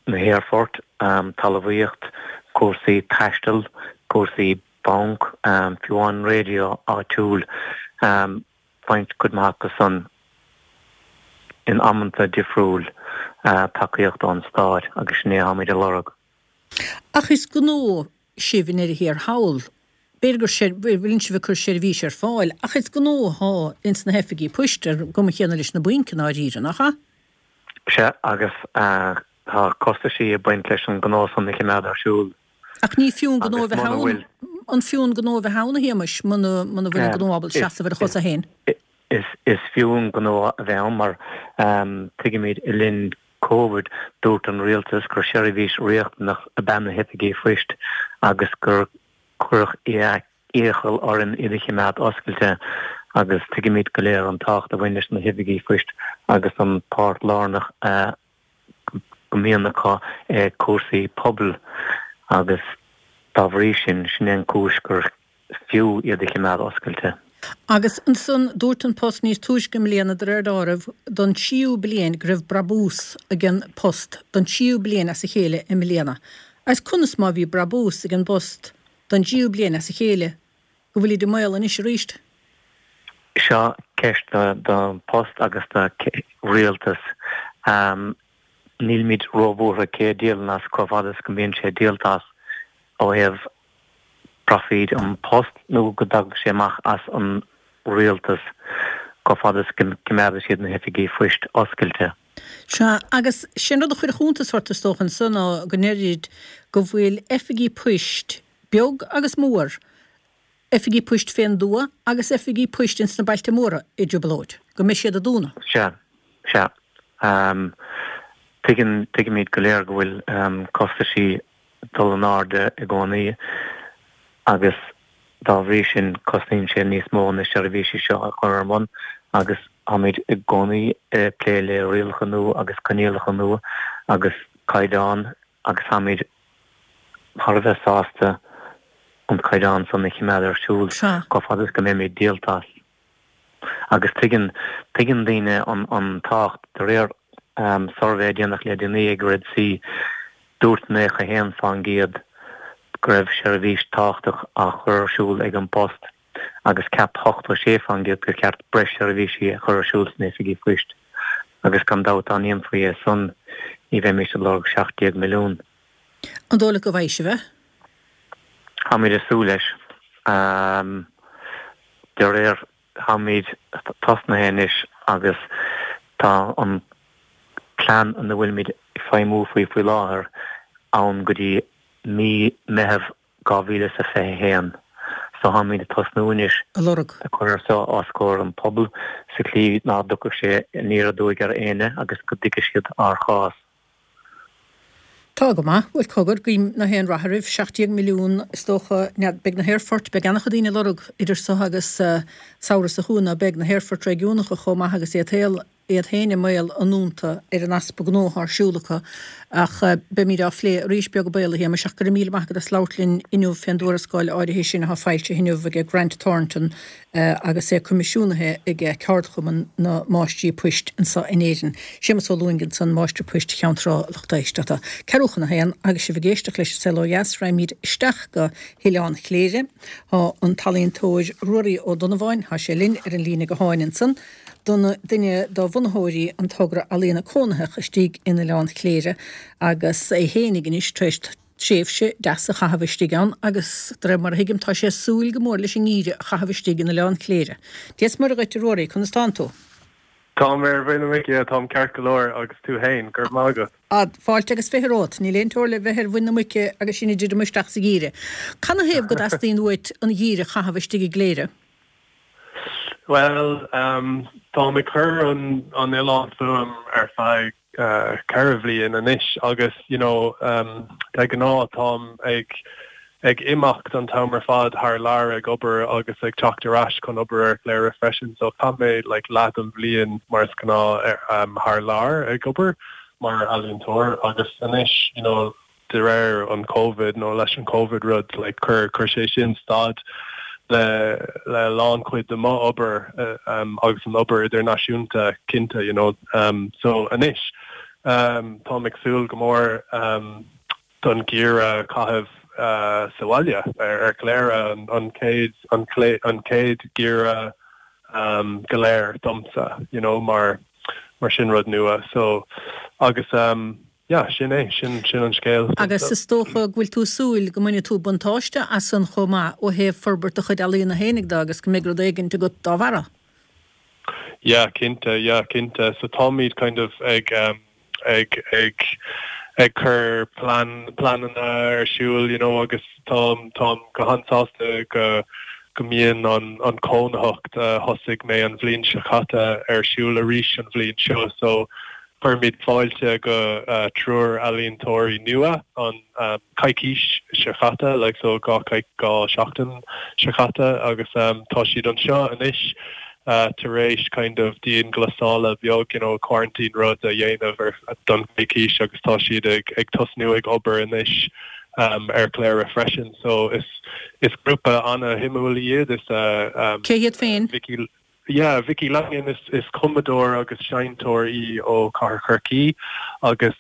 na haerfoirt, talmhaíocht, cúrsaí taistil, cúrsaí banc, fiú amháin raidió áitiúil, faigheann cuid maith acu san in amanta difriúil tacaíocht ón stát agus sin é atáimid a lorg. Ach is gnó sibh i ndeireadh thiar thall. B'fhéidir gur ser, bhfuileann sibh ag cur seirbhís ar fáil, ach is gnó athá ins na hoifigí poist, ar an gcuma chéanna leis na bainc i ndáiríre, nach ea? Sea, agus tá costaisí ag baint leis an ngnó san a choimeád ar siúl. Ach ní fiú an gnó a Agus bheith muna ann, bhfuil. an fiú an gnó a bheith ann, a Shéamais, muna, muna bhfuil an gnó ábalta Is, seasamh ar a is, chosa féin? is, is fiú an gnó a bheith ann mar tuigimid le linn Covid dúirt an rialtas gur seirbhís riachtanach ab ea na hoifigí phoist agus gur cuireadh iachall orainn iad a choimeád oscailte agus tuigimid go léir an tábhacht a bhain leis na hoifigí phoist agus an páirt lárnach a go mbíonn acu i cúrsaí pobail agus dá bhrí sin, sin é an cúis gur fiú iad a choimeád oscailte. Agus ansan, dúirt An Post níos túisce i mbliana, de réir dealraimh, don tríú bliain go raibh brabús ag an Post don tríú bliain as a chéile i mbliana. Agus conas má bhí brabús ag an bPost don dtríú bliain as a chéile go bhfuilid i mbaol anois arís? Seo ceist don Post agus do Rialtas. Nílimid róbhuartha cé a dhíolann as chomh fada is go mbíonn sé díolta as ó thaobh proifíd An Post nó go dtagadh sé amach as an Rialtas chomh fada is go gcoimeádann siad na hoifigí phoist oscailte. Sea, agus sé'n rud a chuirfeadh iontas ort is dócha ansan ná go ndeirid go bhfuil oifigí poist beag agus mór, oifigí poist fén dtuath agus oifigí poist ins na bailte móra i dtrioblóid, go mbeidh siad ag dúnadh. Sea, sea. Tuigeann, tuigimid go léir go bhfuil costaisí ag dul in airde i gcónaí agus dá bhrí sin cosnaíonn sé níos mó na seirbhísí seo a chur ar bun agus táimid i gcónaí ag plé le rialacha nua agus coinníollacha nua agus caighdeáin agus táimid thar a bheith sásta an caighdeán san a choimeád ar siúl Sea. chomh fada is go mbeimid díolta as. Agus tuigeann, tuigeann daoine an, an tábhacht. De réir suirbhé a déanadh le déanaí ag Red C, dúirt naocha a haon fán gcéad go raibh seirbhís tábhachtach á chur ar siúl ag An Post agus cheap ochtó sé fán gcéad gur cheart breis seirbhísí a chur ar siúl sna hoifigí poist. Agus gan dabht dá ndéanfaí é san ní bheimis ag lorg seacht déag milliún. An dóigh leat go bhfaighidh sibh é? Táimid ag súil leis. De réir, táimid tosnaithe anois agus tá an plean ina bhfuilimid ag feidhmiú faoi faoi láthair ann go dtí mí Meitheamh dhá mhíle is a fiche a haon. So táimid ag tosnú anois A lorg. ag cur seo os comhair an pobal sa tslí ná dtiocfadh sé aniar aduaidh ar éinne agus go dtuigfidh siad ár chás. Tá go maith. Bhuel, cogar, guím nach aon rath oraibh. Seacht déag milliún, is dócha. N'fheadar, beidh na haerfoirt, beidh an-chuid daoine ag lorg idir so agus samhradh seo chugainn, ná beidh na haerfoirt réigiúnacha chomh maith agus iad shaol iad féin i mbaol a ndúnta ar an easpa gnó atá ar siúl acu ach beimid á phlé arís beag beann a Shéamais ach go raibh míle maith agat as labhairt linn inniu fén dtuarascáil áirithe sin atá foilsithe inniu ag Grant Thornton agus é coimisiúnaithe ag Ceardchumann na Máistrí Poist anseo in Éirinn. Séamus Ó Lúing ansan, Máistir Poist Cheann Trá, a lucht éisteachta. Ceathrú chun a haon agus sibh ag éisteacht leis an Saol Ó Dheas, raghaimid isteach go hOileán Chléire. Tá an t-ealaíontóir Ruairí Ó Donnabháin, tá sé linn ar an líne gutháin ansan, duine de bhunaitheoirí an togra ealaíona cónaitheach istigh in Oileán Chléire agus é fhéinig anois tar éis tréimhse deas a chaitheamh istigh ann agus de réir mar a thuigim tá sé ag súil go mór leis an ngeimhreadh a chaitheamh istigh in Oileán Chléire. Dia is Muire dhuit a Ruairí, conas tánn tú? Táim ar mhuin na muice, táim ceart go leor agus tú fhéin, go raibh maith agat. Ah, fáilte agus fiche romhat, níl aon teora le bheith ar mhuin na muice agus sinn ag druidim isteach sa gheimhreadh. Canathaobh go dteastaíonn uait an geimhreadh a chaitheamh istigh i gCléire? Bhuel, táim ag cur an an oileán fúm ar feadh ceithre bhliain anois agus you know de ghnáth táim ag ag imeacht an t-am ar fad thar lear ag obair agus ag teacht ar ais chun obair ar Chléire freisin so chaith mé like leath den bhliain mar is gnáth thar lear ag obair mar ealaíontóir agus anois you know de réir an Covid nó leis an Covid rud like chuir chuir sé sin stad le le a lán cuid de mo obair agus an obair idirnáisiúnta cinnte you know so anois táim ag súil go mór don gheimhreadh a chaitheamh sa bhaile ar ar Chléire an chéad an an chéad gheimhreadh go léir domsa you know mar mar sin rud nua so agus yeah, sin é, sin sin an scéal. Agus is dócha go bhfuil tú ag súil go mbainfidh tú buntáiste as san chomh maith ó thaobh forbairt do chuid ealaíona fhéinig de agus go mbeidh rud éigint agat dá bharra. Yeah, cinnte, yeah, cinnte. So táimid kind of ag um, ag ag ag cur plean pleananna ar siúl, you know, agus táim táim go han-sásta go go mbíonn an an cónaitheacht a thosaigh mé an bhliain seo caite ar siúl arís an bhliain seo. So Cuirimid fáilte go triúr ealaíontóirí nua an coicís seo caite, like so dhá dhá seachtain seo caite agus tá siad anseo anois tar éis kind of dianghlasála beag, you know, quarantine rud a dhéanamh ar don coicís agus tá siad ag ag tosnú ag obair anois ar Chléire freisin. So is is grúpa ana-shuimiúil iad, is Cé hiad féin? Vicky Yeah, Vicky Langan is is cumadóir agus seinnteoir í ó Cathair Chorcaí agus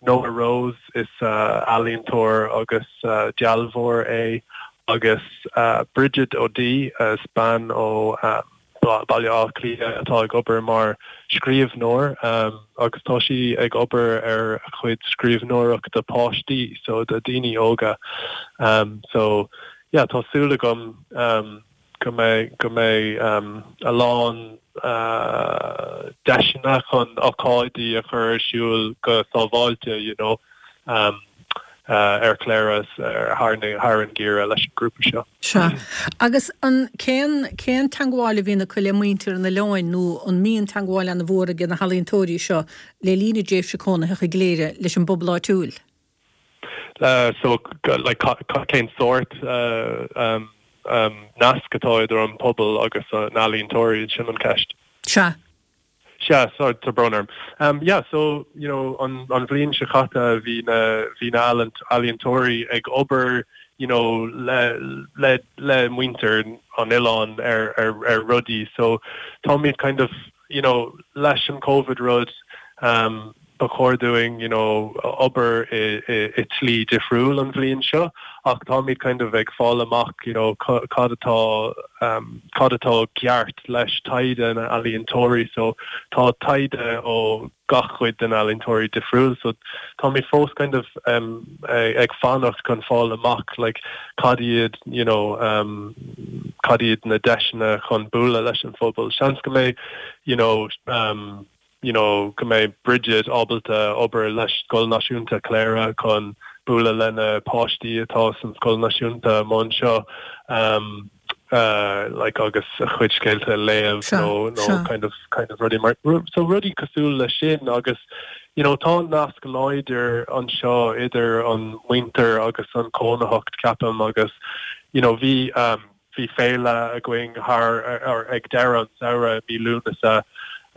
Noah Rose is ealaíontóir agus dealbhóir é agus Bridget O'Dea is bean ó Baile Átha Cliath atá ag obair mar scríbhneoir agus tá sí ag obair ar a chuid scríbhneoireachta do páistí so do daoine óga so yeah tá súil agam go mbeidh go mbeidh a lán deiseanna chun ócáidí a chur ar siúl go sábháilte you know ar Chléire thar thar an gheimhreadh leis an grúpa seo. Sea. Agus an cén cén teangmháil a bhíonn acu le muintir an oileáin nó an mbíonn teangmháil ana-mhór ag na healaíontóirí seo le linn a dtréimhse cónaitheach i gCléire leis an bpobal áitiúil? So like cén sórt nasc atá idir an pobal agus na n-ealaíontóirí, sin an ceist. Sea. Sea, sorry, tá brón orm. Um, yeah, so, you know, an, an bhliain seo caite bhí na, bhí na ealaíontóirí ag obair, you know, le, le, le muintir an oileáin ar, ar, ar rudaí. So táimid kind of, you know, leis an Covid rud, um, ba chóir dúinn you know obair i i i tslí difriúil an bhliain seo ach táimid kind of ag fáil amach you know cad atá um cad atá ceart leis taighde na n-ealaíontóirí so tá taighde ó gach cuid den ealaíontóirí difriúil so táimid fós kind of um ag fanacht chun fáil amach like cad iad you know um cad iad na deiseanna chun bualadh leis an phobal seans go mbeidh you know um you know, go mbeidh Bridget ábalta obair leis Scoil Náisiúnta Chléire chun bualadh le na páistí atá san Scoil Náisiúnta amuigh anseo um, uh, like agus a chuid scéalta a léamh nó nó kind of kind of rudaí mar so rudaí cosúil le sin agus you know, tá nasc láidir anseo idir an muintir agus an cónaitheacht ceapaim agus you know, bhí um, bhí féile againn thar ar ag deireadh an samhradh mí Lúnasa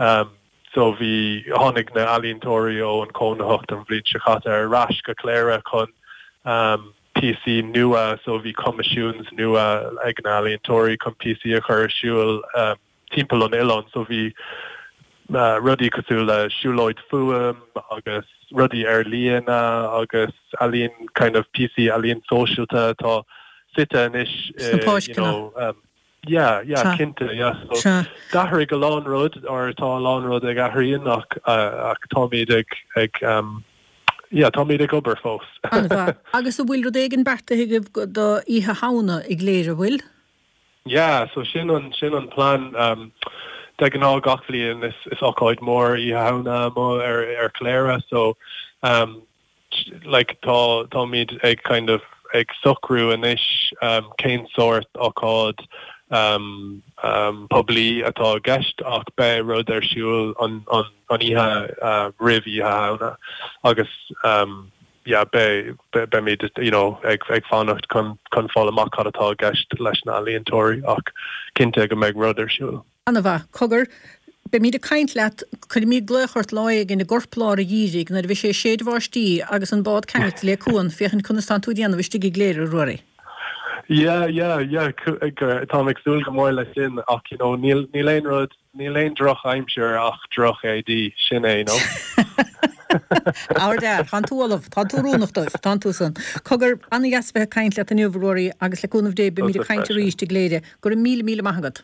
Um, so bhí tháinig na ealaíontóirí ó an cónaitheacht an bhliain seo caite ar ais go Cléire chun um, píosaí nua so bhí coimisiúin nua ag na ealaíontóirí chun píosaí a chur ar siúl um, timpeall an oileáin so bhí uh, rudaí cosúil le siúlóid fuaim agus rudaí ar líne agus ealaín kind of píosaí ealaín sóisialta atá suite anois uh, you know, um, Yeah, yeah, cinnte, yeah. So d'athraigh a lán rud or tá a lán rud ag athrú ach uh, ach táimid ag ag um, yeah, táimid ag obair fós. Agus an bhfuil rud éigin beartaithe agaibh do Oíche Shamhna i gCléire bhfuil? Yeah, so sin an sin an plan um, de ghnáth gach bliain is is ócáid mór Oíche Shamhna mo ar ar Cléire so um, like tá táimid ag kind of ag socrú anois um, cén sórt ócáid um, um, poiblí atá i gceist ach beidh rud ar siúl an, an, an oíche uh, roimh Oíche Shamhna agus um, yeah, beidh beimid you know, ag, ag fanacht chun chun fáil amach cad atá i gceist leis na healaíontóirí ach cinnte go mbeidh rud ar siúl. An-mhaith, cogar, Beimid ag caint leat, cuirfimid glaoch ort lá éigin i gcorplár an gheimhridh nuair a bheidh sé ag séideadh báistí agus an bád ceangailte le cuan, féachaint conas tánn tú ag déanamh istigh i gCléire, a Ruairí. Yeah, yeah, yeah, táim ag súil go mór leis sin ach you know, níl níl aon rud níl aon drochaimsir ach droch-éadaí sin é no. Áir de, Tá tú ullamh, tá tú oiriúnach dóibh, tá tú san. Cogar an-dheas bheith ag caint leat inniu a Ruairí agus le cúnamh Dé beimid ag caint arís i gCléire. Go raibh míle míle maith agat.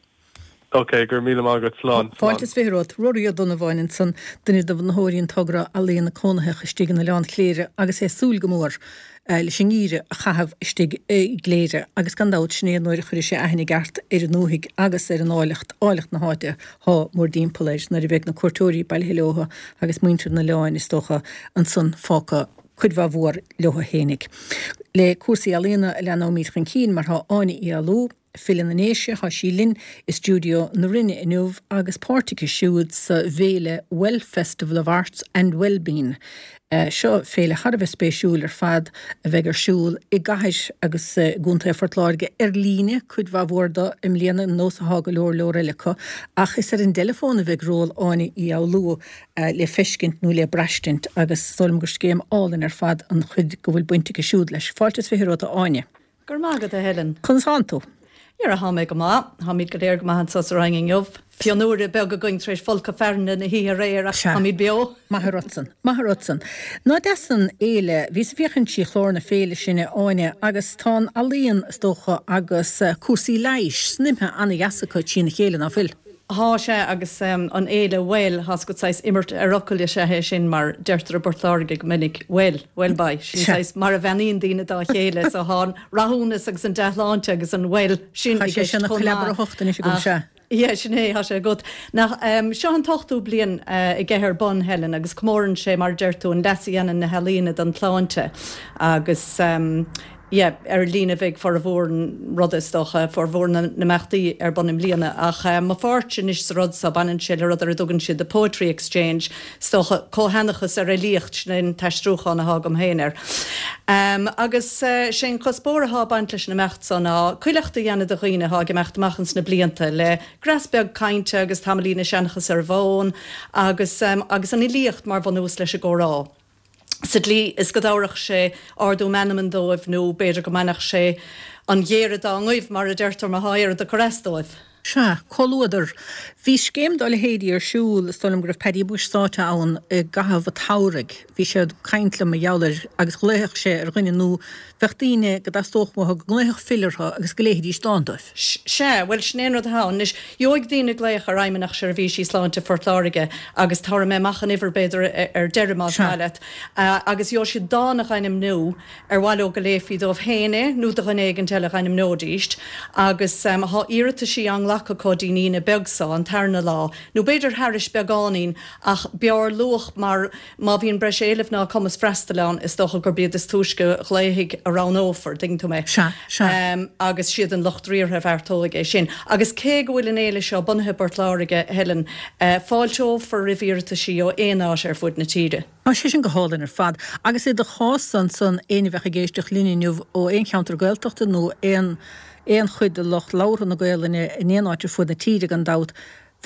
Ok, go raibh míle maith agat slán. Fáilte is fiche romhat, Ruairí Ó Donnabháin ansan, duine de bhunaitheoirí an togra Ealaíona Cónaitheacha istigh in Oileán Chléire agus é ag súil go mór leis an ngeimhreadh a chaitheamh istigh i gCléire agus gan dabht sin é nuair a chuirfidh sé aithne ceart ar an ndúthaigh agus ar an áilleacht, áilleacht na háite thá mórdtimpeall air nuair a bheidh na cuairteoirí bailithe leotha agus muintir an oileáin is dócha ansan fágtha cuid mhaith mhór leotha fhéinig. Le cúrsaí ealaíona a leanóimid chun cinn mar thá Áine Uí Fhoghlú, file na nDéise, thá sí linn i stiúideo na Rinne inniu agus páirt aici siúd sa bhféile Well Festival of Arts and Wellbeing. Seo féile thar a bheith spéisiúil ar fad a bheidh ar siúl i gcathair agus i gContae Phort Láirge ar líne, cuid mhaith mhór de i mbliana, ar nós athá go leor leor eile acu, ach is ar an dteileafón a bheidh ról Áine Uí Fhoghlú le feiscint nó le braistint agus is dóigh liom gur scéim álainn ar fad an chuid go bhfuil baint aici siúd leis. Fáilte is fiche romhat a Áine. Go raibh maith agat a Helen. Conas thánn tú? Dhera, thá mé go maith. Táimid go léir go maith anso sa Rinn inniu. Fionnuaire beag againn tar éis folcadh fearthainne na hoíche aréir ach táimid beo. Maith ortsan. Maith ortsan. Ná deas an fhéile. Bhíos ag féachaint trí chlár na féile sin, a Áine, agus tá an ealaíon, is dócha, agus cúrsaí leighis snoimthe ana-dheas acu trína chéile, ná fuil? Thá sé agus an fhéile Well, thá's agat saghas imirt ar fhocail is ea é sin mar deirtear i bPort Láirge go minic well, well boy, sin saghas mar a bheannaíonn daoine dá chéile so thá an rathúnas agus an dea-shláinte agus an well sin Tá i sé gceist sin ina chomh cleabar a maith hocht anois agam, ach sea. yeah sin é, thá sé agat. Nach, seo an t-ochtú bliain aige ar bun, Helen, agus comórann sé mar a deir tú an leas a dhéanann na healaíona don tsláinte agus Yeah, ar líne a bheidh formhór an ruda is dócha, formhór na n-imeachtaí ar bun i mbliana. Ach mo pháirt anois sa rud so, baineann sé le rud ar a dtugann siad 'the poetry exchange', is dócha, comhsheanchas ar fhilíocht, sin é an t-aistriúchán athá agam féin air. Agus sé an cuspóir athá ag baint leis an imeacht so ná cuileachta a dhéanamh do dhaoine athá ag imeacht amach ins na blianta, le greas beag cainte agus tamaillín ag seanchas ar an bhfón agus agus an fhilíocht mar bhunús leis an gcomhrá. sa tslí is go dtabharfadh sé ardú meanman dóibh nó b'fhéidir go mbainfeadh sé an ghéire dá ngoimh, mar a deirtear, má thá oiread ag cur as dóibh. Sea, comhluadar. Bhí scéim dá leithéidí ar siúl, is dóigh liom go raibh Paddy Bushe sáite ann i gcaitheamh an tsamhraidh. Bhí sé ag caint liom mar gheall air agus ghlaofadh sé ar dhuine nó bheadh daoine go dteastódh uathu go nglaofadh file orthu agus go léifidís dán dóibh. Sea, bhuel sin é an rud atá ann. Anois, gheobhaidh daoine glaoch ar Fheidhmeannacht Seirbhísí Sláinte Phort Láirge agus tabharfaidh mé amach an uimhir b'fhéidir ar deireadh más Sea. maith leat, agus gheobhaidh siad dán a dh'ainmniú ar mhaith leo go léifí dóibh féin é nó do dhuine éigint eile a dh'ainmneoidíst agus tá iarrataisí á nglacadh acu dtí'n Aoine beag so, an tarna lá, nó b'fhéidir thairis beagáinín ach b'fhearr luath mar má bhíonn breis éilimh ná cumas freastail ann is dócha gurb iad is túisce a ghlaofaidh a roghnófar, dtuigeann tú mé. Sea, sea. Agus siad an lucht riartha a bheartóidh é sin. Agus cé go bhfuil an fhéile seo bunaithe i bPort Láirge, a Helen, fáilteofar roimh iarrataisí ó aon áit ar fud na tíre. Tá sé sin go hálainn ar fad. Agus i do chás ansan, éinne a bheadh ag éisteacht linn inniu ó aon cheantar Gaeltachta nó aon aon chuid de lucht labhartha na Gaelainne in aon áit ar fud na tíre gan dabht,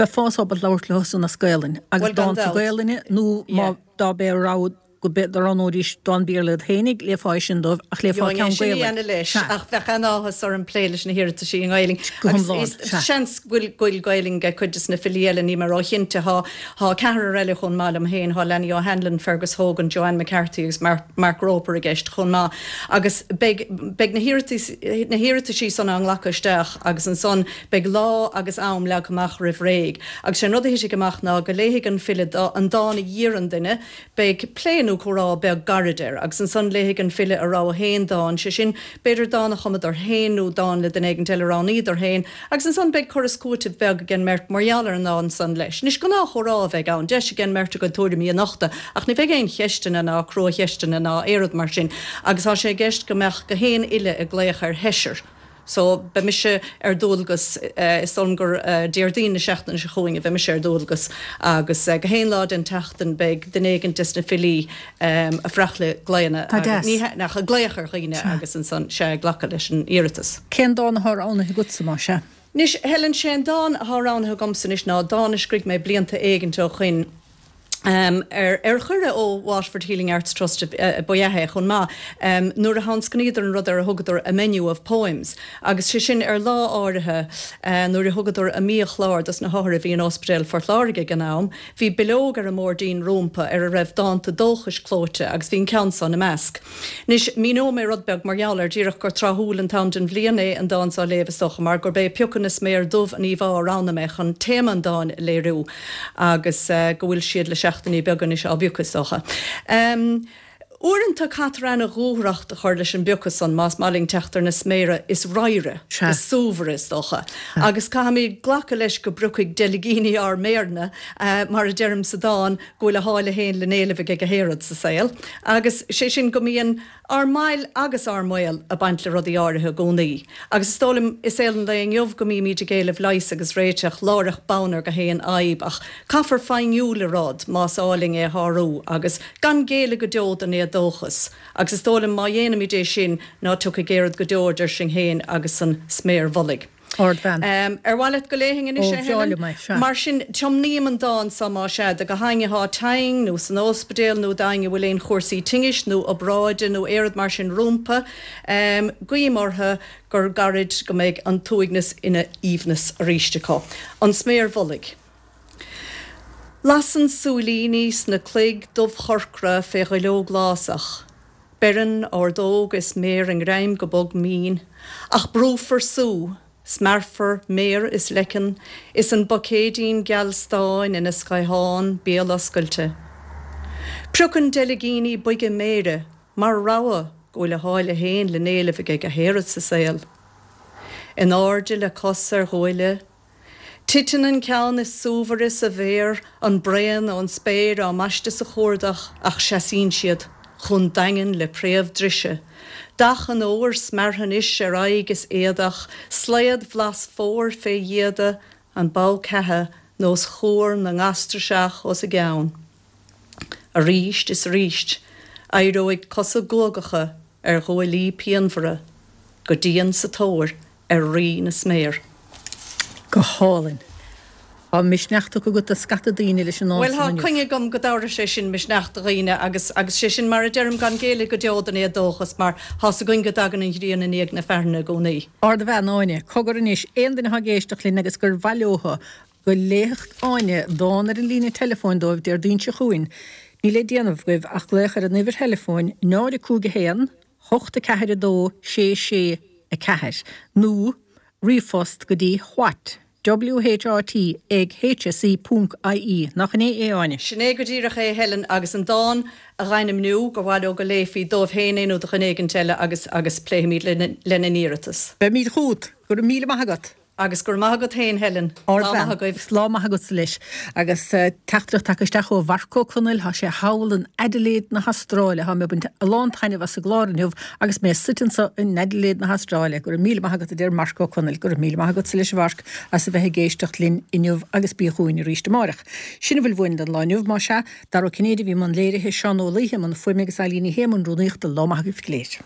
Bheifeá ábalta labhairt leo san as Gaelainn agus Bhuel, gan dánta dabht. Gaelainne nó má Yeah. dá b'é rogha go b'é do roghnóidís dán Béarla iad féinig, léifeá é sin dóibh ach léifeá Gheobhainn é ceann sin a Gaelainn. dhéanamh leis, Sea. ach bheadh an-áthas orm plé leis na hiarrataisí i nGaelainn. Go Agus hiomlán, is sea. seans go bhfuil go bhfuil Gaelainn ag cuid des na filí eile, níl mé róchinnte. Thá thá ceathrar eile chomh maith liom féin, thá Lenny O'Hanlon, Fergus Hogan, Joanne McCarthy agus Mark, Mark Roper i gceist chomh maith. Agus beidh beidh na hiarratais na hiarrataisí san á nglacadh isteach agus ansan beidh lá agus am leagtha amach roimh réidh. Agus sé an rud a thitfidh amach ná go léifidh an file an dán a d'iarr an duine, beidh plé nó comhrá beag gairid air, agus ansan léifidh an file a rogha féin dán, sé sin b'fhéidir dán a chumadar féin nó dán le duine éigin eile a roghnaíodar féin, agus ansan beidh cur is cúiteamh beag ag an mbeirt mar gheall ar an ndán san leis. Anois gnáthchomhrá a bheidh ann, deis ag an mbeirt a gcuid tuairimí a nochtadh, ach ní bheidh aon cheisteanna ná cruacheisteanna ná aon rud mar sin, agus tá sé i gceist go mbeadh gach aon fhile ag glaoch ar sheisear. So beidh mise ar dualgas, is dóigh liom gur Déardaoin na seachtaine seo chugainn a bheidh mise ar dualgas agus gach aon lá den tseachtain beidh duine éigin des na filí ag freastal glaonna Tá deas. ní nach ag glaoch ar dhaoine agus ansan sea ag glacadh leis an iarratas. Cén dán atá roghnaithe agatsa más ea? Anois Helen sé an dán atá roghnaithe agamsa anois ná dán a scrígh mé blianta éigint ó shoin. Um, ar, ar chuireadh ó Waterford Healing Arts Trust uh, ba ea é chomh maith um, nuair a thionscnaíodar an rud ar a thugadar a menu of poems agus sé sin ar lá áirithe uh, nuair a thugadar a mbiachlár dos na hothair a bhí in Ospidéal Phort Láirge ag an am, bhí bileog ar an mbordín rómpa ar a raibh dánta dóchais clóite agus bhí an ceann san ina measc. Anois míneoidh mé rud beag mar gheall air díreach gur tráthúil an t-am den bhliain é an dán seo a léamh is dócha mar gurb é piocadh na sméar dubh an íomhá a roghnaigh mé chun téama an dáin a léiriú agus uh, go bhfuil siad le seachtainí beaga anois á bpiocadh is dócha. Um, Uaireanta caithfear ana-dhúthracht a chur leis an bpiocadh san más maith linn teacht ar na sméara is ramhaire, is súmhaire is dócha. Agus caithfimid glacadh leis go bpriocfaidh deilgíní ár méireanna, uh, mar a deirim sa dán go bhfuil a sháile féin le n-éileamh ag gach aon rud sa saol. Agus sé sin go mbíonn ár mbail agus ár mbaol ag baint le rudaí áirithe i gcónaí. Agus is dóigh liom i saol an lae inniu go mbímid ag éileamh leigheas agus réiteach láithreach bonn ar gach aon fhadhb ach caithfear feidhmiú le rud más áil linn é a shárú agus gan géilleadh go deo don éadóchas. Agus is dóigh liom má dhéanaimid é sin ná tiocfaidh aon rud go deo idir sinn féin agus an sméar mhullaigh. Ardbhean. Um, ar mhaith leat go léifinn anois Ó, é, Helen? bhreá liom é, sea. Mar sin tiomnaím an dán so más ea do gach éinne atá tinn nó san ospidéal nó d'éinne a bhfuil aon chúrsaí tinnis nó obráide nó aon rud mar sin rómpa, um, guím orthu gur gairid go mbeidh an t-uaigneas ina aoibhneas arís acu. An sméar mhullaigh. Lasann súilíní sna cloig dubhchorcra fé dhuilleog lásach. Beireann ordóg is méar a ngreim go bog mín, ach brúfar sú, smearfar méar is leiceann, is an buicéidín geal stáin ina scaothán béaloscailte. Priocann deilgíní boige méire, mar rogha go bhfuil a sháile féin le n-éileamh ag gach aon rud sa saol. In airde le cos ar ghuaille, Titeann an ceann is súmhaire sa bhféar, an braon ón spéir á mbaisteadh sa chuardach ach seasann siad, chomh daingean le préamh drise. Dath an óir smeartha anois ar aghaidh is éadach, slaod bhlas fómhair fé dhéada, an bogha ceatha nós cuar na ngastraiseach os a gceann. Arís is arís, éireoidh cosa guagacha ar ghuaillí pianmhara, go dian sa tóir ar Rí na Sméar. Go hálainn. Tá misneach tugtha agat do scata daoine leis an ndán Bhuel san tá inniu. coinne agam go dtabharfaidh sé sin misneach do dhaoine agus agus sé sin mar a deirim gan géilleadh go deo don éadóchas mar tá's againn go dtagann an ghrian i ndiaidh na fearthainne i gcónaí. Ardbhean Áine, cogar anois aon duine atá ag éisteacht linn agus gur mhaith leo go léifeadh Áine dán ar an líne teileafóin dóibh Déardaoin seo chugainn. Níl le déanamh agaibh ach glaoch ar an uimhir theileafóin náid a cúig a haon, hocht a ceathair a dó, sé sé a ceathair nó ríomhphost go dtí what, W-H-A-T, ag H S E ponc I E. Nach in é é, Áine? Sin é go díreach é, Helen, agus an dán a dh'ainmniú gur mhaith leo go léifí dóibh féin é nó do dhuine éigin eile agus agus pléifimid lena n-iarratas. Beimid chugat. Go raibh míle maith agat. Agus go raibh maith agat féin, Helen. Lá maith agaibh. Lá maith agatsa leis. Agus teachtaireacht tagtha isteach ó Mharc Ó Conaill, thá sé thall in Adelaide na hAstráile. Thá mé ag baint a lán taitneamh as an gclár inniu agus mé suite anso in Adelaide na hAstráile. Go raibh míle maith agat, a deir Marc Ó Conaill. Go raibh míle maith agatsa leis, a Mharc, as a bheith ag éisteacht linn inniu agus bí chugainn arís amárach. Sin a bhfuil uainn don lá inniu, más ea. Dara Ó Cinnéide a bhí i mbun léirithe, Seán Ó Laoithe i mbun fuaime agus Eilín Ní Shé i mbun rúnaíochta. Lá maith agaibh go léir.